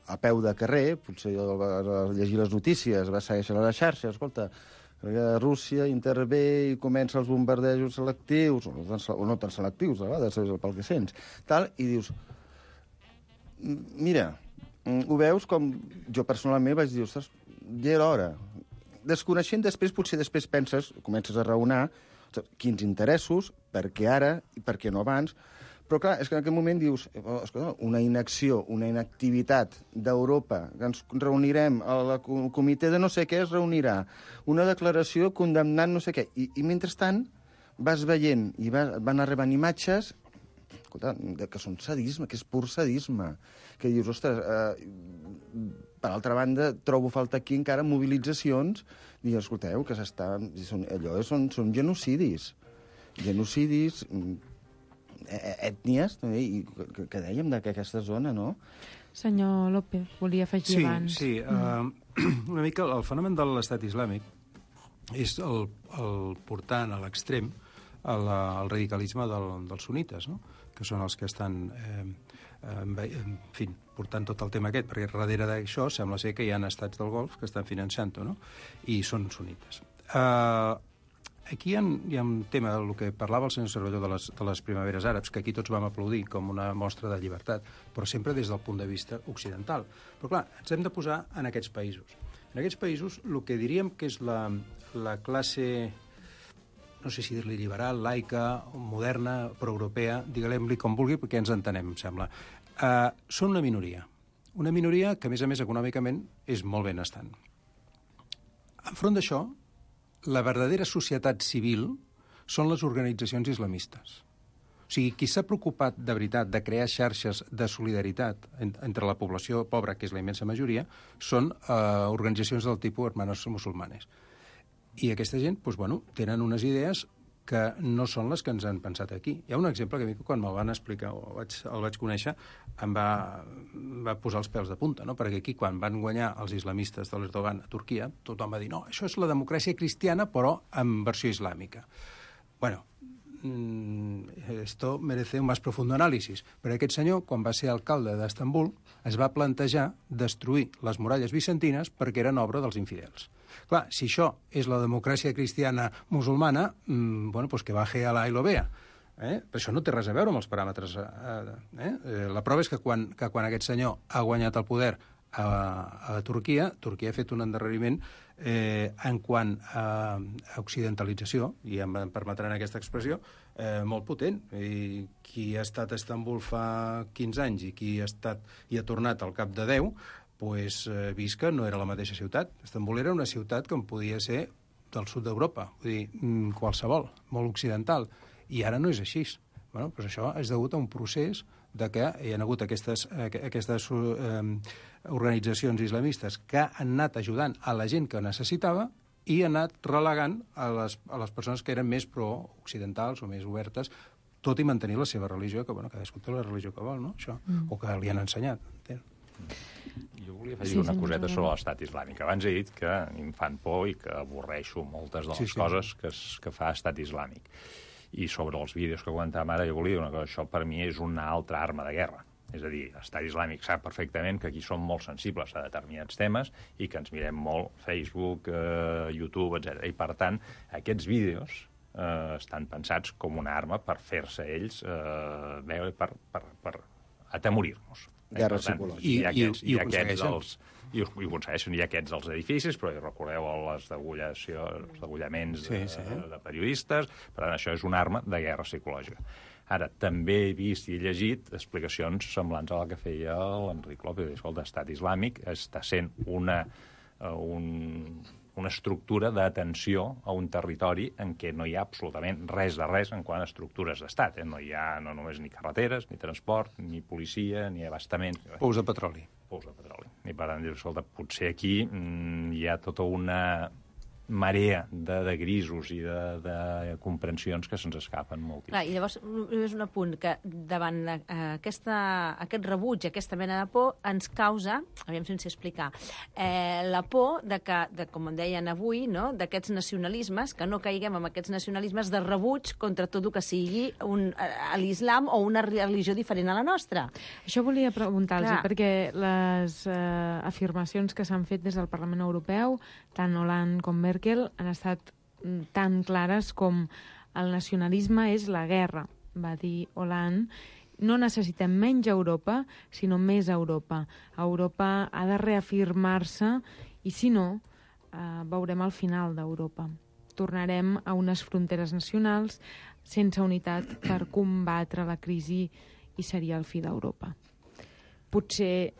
a peu de carrer, potser va llegir les notícies, va seguir a les xarxes, escolta, Rússia intervé i comença els bombardejos selectius, o no tan selectius, a vegades, pel que sents, tal, i dius, mira, ho veus com jo personalment vaig dir, ostres, ja era hora. Desconeixent potser després penses, comences a raonar, quins interessos, per què ara i per què no abans, però clar, és que en aquell moment dius, una inacció, una inactivitat d'Europa, que ens reunirem, el comitè de no sé què es reunirà, una declaració condemnant no sé què, i mentrestant vas veient i van arribant imatges, escolta, que són sadisme, que és pur sadisme, que dius, ostres, per altra banda, trobo falta aquí encara mobilitzacions, i escolteu, que són genocidis. genocidis, ètnies, també, i que dèiem d'aquesta zona, no? Senyor López, volia afegir abans. Sí, una mica el fenomen de l'estat islàmic és el portant a l'extrem el radicalisme dels sunites, no? Que són els que estan portant tot el tema aquest, perquè darrere d'això sembla ser que hi ha estats del Golf que estan finançant-ho, no? I són sunites. Aquí hi ha un tema del que parlava el senyor Cervelló de les primaveres àrabs, que aquí tots vam aplaudir com una mostra de llibertat, però sempre des del punt de vista occidental. Però clar, ens hem de posar en aquests països. En aquests països el que diríem que és la classe, no sé si dir-li liberal, laica, moderna, proeuropea, diguem-li com vulgui, perquè ens entenem, em sembla. Són una minoria que, a més, econòmicament és molt benestant. Enfront d'això, la verdadera societat civil són les organitzacions islamistes. O sigui, qui s'ha preocupat de veritat de crear xarxes de solidaritat entre la població pobra, que és la immensa majoria, són organitzacions del tipus Hermanos Musulmanes. I aquesta gent, tenen unes idees que no són les que ens han pensat aquí. Hi ha un exemple que a mi, quan me'l van explicar o el vaig conèixer, em va posar els pèls de punta, no? Perquè aquí, quan van guanyar els islamistes de l'Erdogan a Turquia, tothom va dir, no, això és la democràcia cristiana, però en versió islàmica. Bueno, esto merece un más profundo análisis. Però aquest senyor, quan va ser alcalde d'Istanbul, es va plantejar destruir les muralles bizantines perquè eren obra dels infidels. Clar, si això és la democràcia cristiana musulmana, que baje a la y lo vea. Però això no té res a veure amb els paràmetres. La prova és que quan aquest senyor ha guanyat el poder a Turquia ha fet un endarreriment en quant a occidentalització, i em permetran aquesta expressió, molt potent. I qui ha estat a Istanbul fa 15 anys i qui ha tornat al cap de 10, vist que no era la mateixa ciutat. Istanbul era una ciutat que podia ser del sud d'Europa, vull dir, qualsevol, molt occidental, i ara no és així. Però això és degut a un procés de que hi ha hagut aquestes organitzacions islamistes que han anat ajudant a la gent que necessitava i han anat relegant a les persones que eren més pro-occidentals o més obertes, tot i mantenir la seva religió, que cadascú té la religió que vol, no? Això, o que li han ensenyat. Jo volia afegir una coseta sobre l'estat islàmic. Abans he dit que em fan por i que avorreixo moltes de les coses que fa estat islàmic. I sobre els vídeos que comentàvem ara, jo volia dir una cosa, això per mi és una altra arma de guerra. És a dir, l'estat islàmic sap perfectament que aquí som molt sensibles a determinats temes i que ens mirem molt Facebook, YouTube, etc. I, per tant, aquests vídeos estan pensats com una arma per fer-se ells veure, per atemorir-nos. Guerra psicològica. I ho aconsegueixen. I ho aconsegueixen. Hi ha aquests als edificis, però recordeu els degullaments de periodistes. Per tant, això és una arma de guerra psicològica. Ara, també he vist i he llegit explicacions semblants a la que feia l'Enric López. Escolta, l'estat islàmic està sent una estructura d'atenció a un territori en què no hi ha absolutament res de res en quant a estructures d'estat. No hi ha no només ni carreteres, ni transport, ni policia, ni abastament. Pous de petroli. I per tant, escolta, potser aquí hi ha tota una marea de grisos i de comprensions que se'ns escapen moltíssim. Clar, i llavors, només un apunt, que davant aquest rebuig, aquesta mena de por, ens causa, aviam sense explicar, la por de que, com en deien avui, no?, d'aquests nacionalismes, que no caiguem en aquests nacionalismes de rebuig contra tot el que sigui l'islam o una religió diferent a la nostra. Això volia preguntar-los, perquè les afirmacions que s'han fet des del Parlament Europeu, tant Hollande com Merkel, han estat tan clares com el nacionalisme és la guerra, va dir Hollande. No necessitem menys Europa, sinó més Europa. Europa ha de reafirmar-se i, si no, veurem el final d'Europa. Tornarem a unes fronteres nacionals sense unitat per combatre la crisi i seria el fi d'Europa. Potser,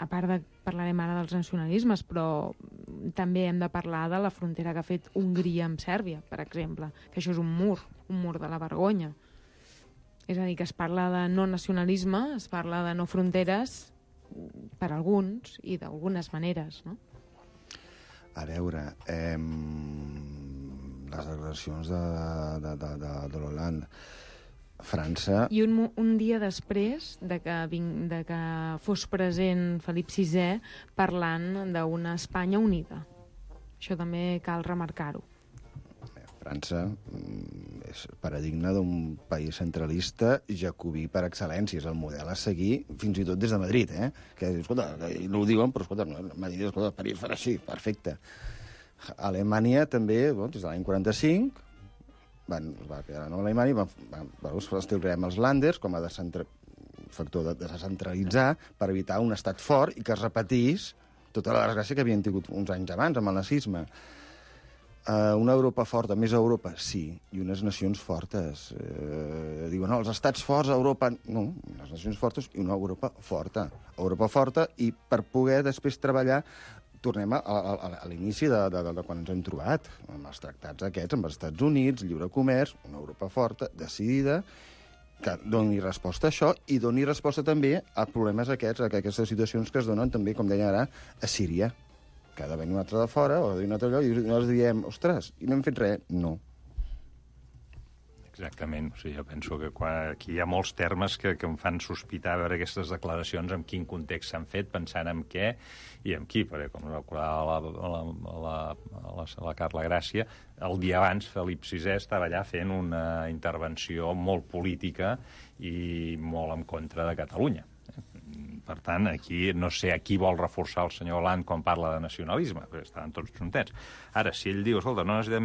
a part de parlarem ara dels nacionalismes, però també hem de parlar de la frontera que ha fet Hongria amb Sèrbia, per exemple, que això és un mur de la vergonya. És a dir, que es parla de no nacionalisme, es parla de no fronteres per alguns i d'algunes maneres, no? A veure, les declaracions de l'Hollande. França... I un dia després de que fos present Felip VI parlant d'una Espanya unida. Això també cal remarcar-ho. França és paradigma d'un país centralista jacobí per excel·lència. És el model a seguir fins i tot des de Madrid, eh? Que, escolta, no ho diuen, però, escolta, Madrid, escolta, París farà així, perfecte. Alemanya també, des de l'any 45... es va quedar a Alemanya i establerem els Länders com a factor de descentralitzar per evitar un estat fort i que es repetís tota la desgràcia que havien tingut uns anys abans amb el nazisme. Una Europa forta, més Europa, sí, i unes nacions fortes. Diuen, no, els estats forts a Europa... No, les nacions fortes i una Europa forta. Europa forta i per poder després treballar tornem a l'inici de quan ens hem trobat, amb els tractats aquests, amb els Estats Units, lliure comerç, una Europa forta, decidida, que doni resposta a això i doni resposta també a problemes aquests, a aquestes situacions que es donen també, com deia ara, a Síria, que ha de venir un altre de fora o d'un altre lloc i nosaltres diem, ostres, i no hem fet res? No. Exactament. O sigui, jo penso que aquí hi ha molts termes que em fan sospitar veure aquestes declaracions, en quin context s'han fet, pensant en què i en qui, perquè com recordava la Carla Gràcia, el dia abans Felip VI estava allà fent una intervenció molt política i molt en contra de Catalunya. Per tant, aquí no sé a qui vol reforçar el senyor Hollande quan parla de nacionalisme, perquè estaven tots juntets. Ara, si ell diu, escolta, no necessitem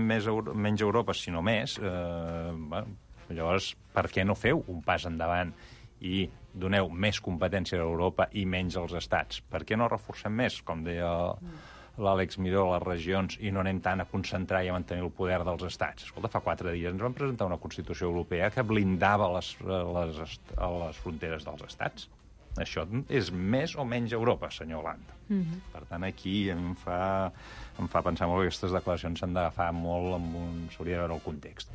menys Europa, sinó més, llavors, per què no feu un pas endavant i doneu més competència a Europa i menys als estats? Per què no reforcem més, com deia l'Àlex Miró, les regions, i no anem tant a concentrar i a mantenir el poder dels estats? Escolta, fa 4 dies ens van presentar una Constitució Europea que blindava les fronteres dels estats. Això és més o menys Europa, senyor Hollande. Per tant, aquí em fa pensar molt que aquestes declaracions s'han d'agafar molt, s'hauria de veure el context.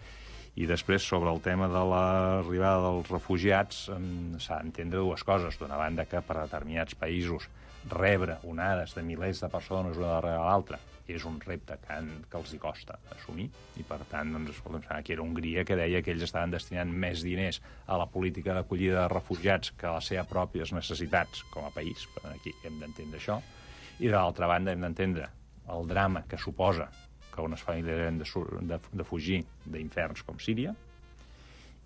I després, sobre el tema de l'arribada dels refugiats, s'ha d'entendre dues coses. D'una banda, que per a determinats països rebre onades de milers de persones una darrere l'altra és un repte que els hi costa assumir, i per tant, escolta'm, aquí era Hongria que deia que ells estaven destinant més diners a la política d'acollida de refugiats que a les seves pròpies necessitats com a país. Aquí hem d'entendre això. I de l'altra banda hem d'entendre el drama que suposa que unes famílies han de fugir d'inferns com Síria.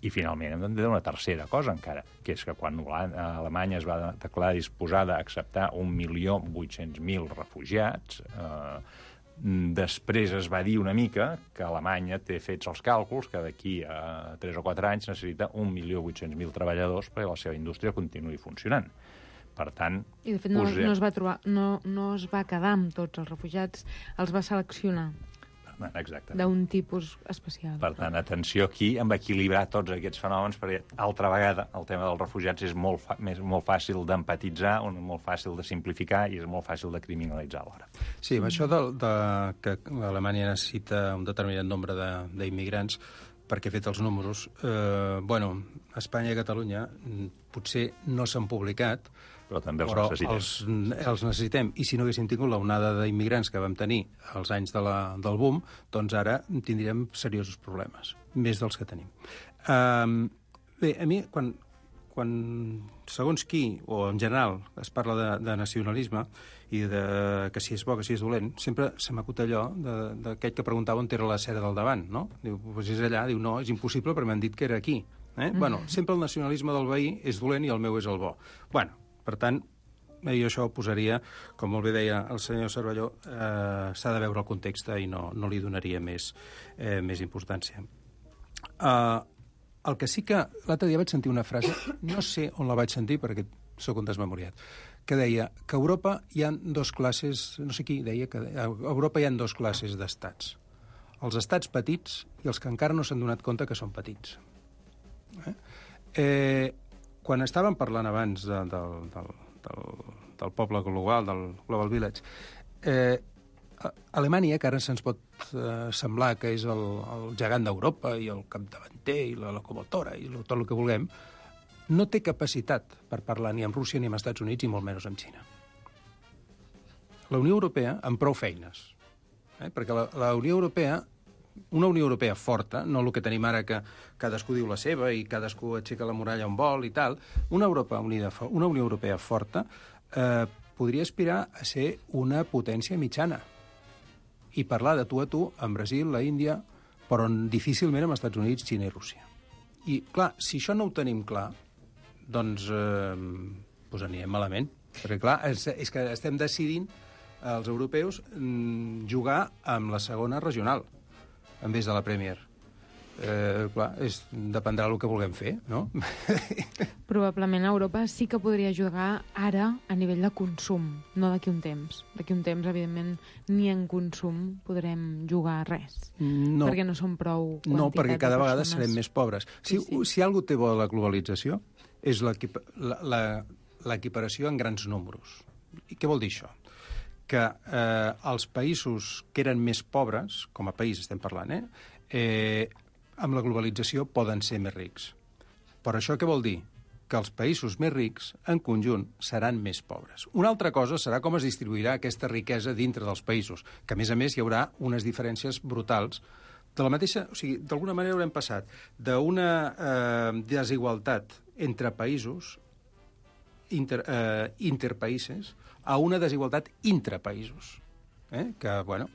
I finalment hem d'entendre una tercera cosa encara, que és que quan Alemanya es va declarar disposada a acceptar 1.800.000 refugiats, després es va dir una mica que Alemanya té fets els càlculs que d'aquí a 3 o 4 anys necessita 1.800.000 treballadors perquè la seva indústria continuï funcionant. Per tant... I de fet no es va quedar amb tots els refugiats, els va seleccionar. Exactament. D'un tipus especial. Per tant, atenció aquí amb equilibrar tots aquests fenòmens, perquè altra vegada el tema dels refugiats és molt fàcil d'empatitzar, molt fàcil de simplificar i és molt fàcil de criminalitzar alhora. Sí, amb això que Alemanya necessita un determinat nombre d'immigrants, perquè he fet els números, Espanya i Catalunya potser no s'han publicat, però també els necessitem. I si no haguéssim tingut l'onada d'immigrants que vam tenir als anys del boom, doncs ara tindríem seriosos problemes, més dels que tenim. Bé, a mi, quan segons qui, o en general, es parla de nacionalisme i que si és bo, que si és dolent, sempre se m'acut allò d'aquell que preguntava on era la cera del davant, no? Diu, doncs és allà, diu, no, és impossible perquè m'han dit que era aquí. Bueno, sempre el nacionalisme del veí és dolent i el meu és el bo. Bueno, per tant, jo això ho posaria, com molt bé deia el senyor Cervelló, s'ha de veure el context i no li donaria més importància. El que sí que l'altre dia vaig sentir una frase, no sé on la vaig sentir perquè sóc un desmemoriat, que deia que a Europa hi ha 2 classes, no sé qui deia que a Europa hi ha 2 classes d'estats. Els estats petits i els que encara no s'han donat compte que són petits. Quan estàvem parlant abans del poble global, del Global Village, Alemanya, que ara se'ns pot semblar que és el gegant d'Europa i el capdavanter i la locomotora i tot el que vulguem, no té capacitat per parlar ni amb Rússia ni amb Estats Units i molt menys amb Xina. La Unió Europea, amb prou feines, perquè la Unió Europea una Unió Europea forta, no el que tenim ara que cadascú diu la seva i cadascú aixeca la muralla on vol i tal, una Unió Europea forta podria aspirar a ser una potència mitjana i parlar de tu a tu amb Brasil, la Índia, però difícilment amb Estats Units, Xina i Rússia. I, clar, si això no ho tenim clar, doncs anirem malament. Perquè, clar, és que estem decidint els europeus jugar amb la segona regional en vez de la Premier. Clar, dependrà del que vulguem fer, no? Probablement Europa sí que podria jugar ara a nivell de consum, no d'aquí un temps. D'aquí un temps, evidentment, ni en consum podrem jugar res. No. Perquè no som prou quantitat. No, perquè cada vegada serem més pobres. Sí. Si algú té bo de la globalització és l'equiparació en grans números. I què vol dir això? Que els països que eren més pobres, com a país estem parlant, amb la globalització poden ser més rics. Però això què vol dir? Que els països més rics, en conjunt, seran més pobres. Una altra cosa serà com es distribuirà aquesta riquesa dintre dels països, que, a més, hi haurà unes diferències brutals. De la mateixa, o sigui, d'alguna manera haurem passat d'una desigualtat entre països, interpaïsos, a una desigualtat intrapaïsos. Que, bueno,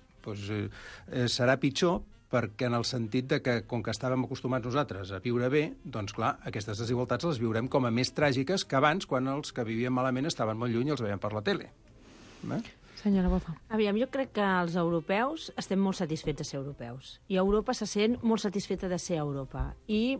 serà pitjor perquè en el sentit de que, com que estàvem acostumats nosaltres a viure bé, doncs, clar, aquestes desigualtats les viurem com a més tràgiques que abans, quan els que vivien malament estaven molt lluny i els veiem per la tele. Senyora Boza. Aviam, jo crec que els europeus estem molt satisfets de ser europeus. I Europa se sent molt satisfeta de ser Europa. I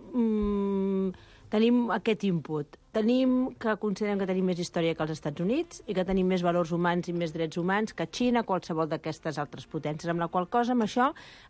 tenim aquest input. Tenim que considerem que tenim més història que els Estats Units i que tenim més valors humans i més drets humans que Xina, qualsevol d'aquestes altres potències, amb la qual cosa, amb això,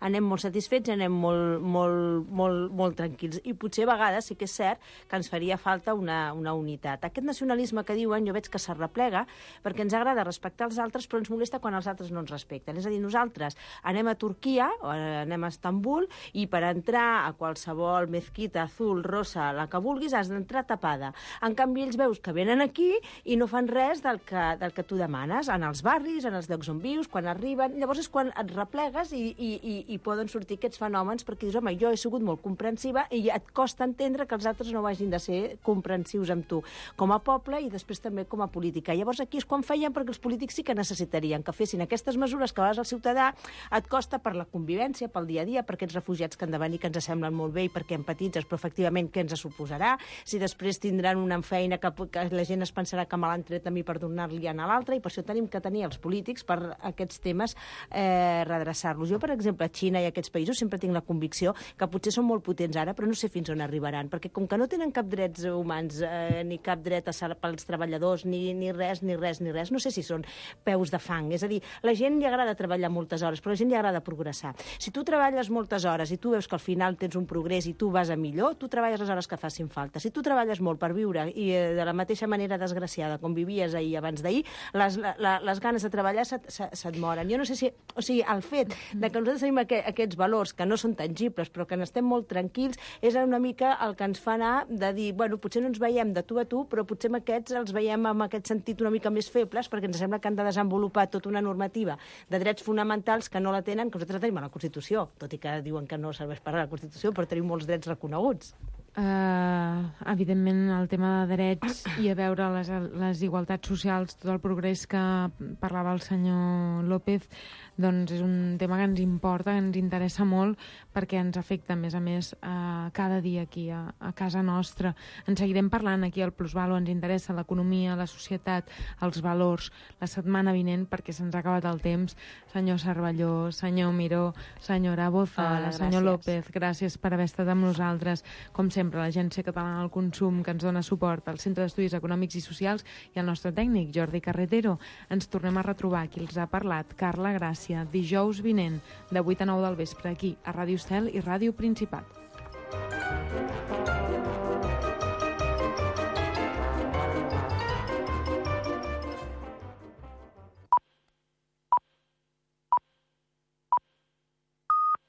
anem molt satisfets i anem molt tranquils. I potser a vegades sí que és cert que ens faria falta una unitat. Aquest nacionalisme que diuen, jo veig que s'arreplega perquè ens agrada respectar els altres, però ens molesta quan els altres no ens respecten. És a dir, nosaltres anem a Turquia o anem a Estambul i per entrar a qualsevol mezquita azul, rosa, la que vulguis, has d'entrar tapada. En canvi, ells veus que venen aquí i no fan res del que tu demanes, en els barris, en els llocs on vius, quan arriben. Llavors és quan et replegues i poden sortir aquests fenòmens perquè dius, home, jo he sigut molt comprensiva i et costa entendre que els altres no hagin de ser comprensius amb tu, com a poble i després també com a política. Llavors aquí és quan feien, perquè els polítics sí que necessitarien que fessin aquestes mesures que a vegades el ciutadà et costa per la convivència, pel dia a dia, per aquests refugiats que han de venir, que ens semblen molt bé i perquè empatitzes, però efectivament què ens suposarà? Si després tindran una feina que la gent es pensarà que me l'han tret a mi per donar-li a l'altre, i per això tenim que tenir els polítics per aquests temes redreçar-los. Jo, per exemple, a Xina i a aquests països sempre tinc la convicció que potser són molt potents ara, però no sé fins on arribaran, perquè com que no tenen cap drets humans, ni cap dret pels treballadors, ni res, no sé si són peus de fang. És a dir, la gent li agrada treballar moltes hores, però a la gent li agrada progressar. Si tu treballes moltes hores i tu veus que al final tens un progrés i tu vas a millor, tu treballes les hores que facin falta. Si tu treballes molt per viure i de la mateixa manera desgraciada com vivies ahir abans d'ahir, les ganes de treballar se't moren. Jo no sé si... O sigui, el fet de que nosaltres tenim aquests valors que no són tangibles però que n'estem molt tranquils és una mica el que ens fa anar de dir, bueno, potser no ens veiem de tu a tu, però potser amb aquests els veiem amb aquest sentit una mica més febles perquè ens sembla que han de desenvolupar tota una normativa de drets fonamentals que no la tenen, que nosaltres tenim a la Constitució, tot i que diuen que no serveix per a la Constitució, però tenim molts drets reconeguts. Evidentment el tema de drets i a veure les igualtats socials, tot el progrés que parlava el senyor López, doncs és un tema que ens importa, que ens interessa molt perquè ens afecta a més cada dia aquí a casa nostra. En seguirem parlant aquí al Plusvalua, ens interessa l'economia, la societat, els valors, la setmana vinent perquè se'ns ha acabat el temps. Senyor Cervelló, senyor Miró, senyora Boza, senyor López, gràcies per haver estat amb nosaltres. Com sempre, l'Agència Catalana del Consum, que ens dona suport, al Centre d'Estudis Econòmics i Socials i el nostre tècnic, Jordi Carretero. Ens tornem a retrobar. Qui els ha parlat, Carla Gràcia, dijous vinent, de 8 a 9 del vespre, aquí, a Ràdio Estel i Ràdio Principat.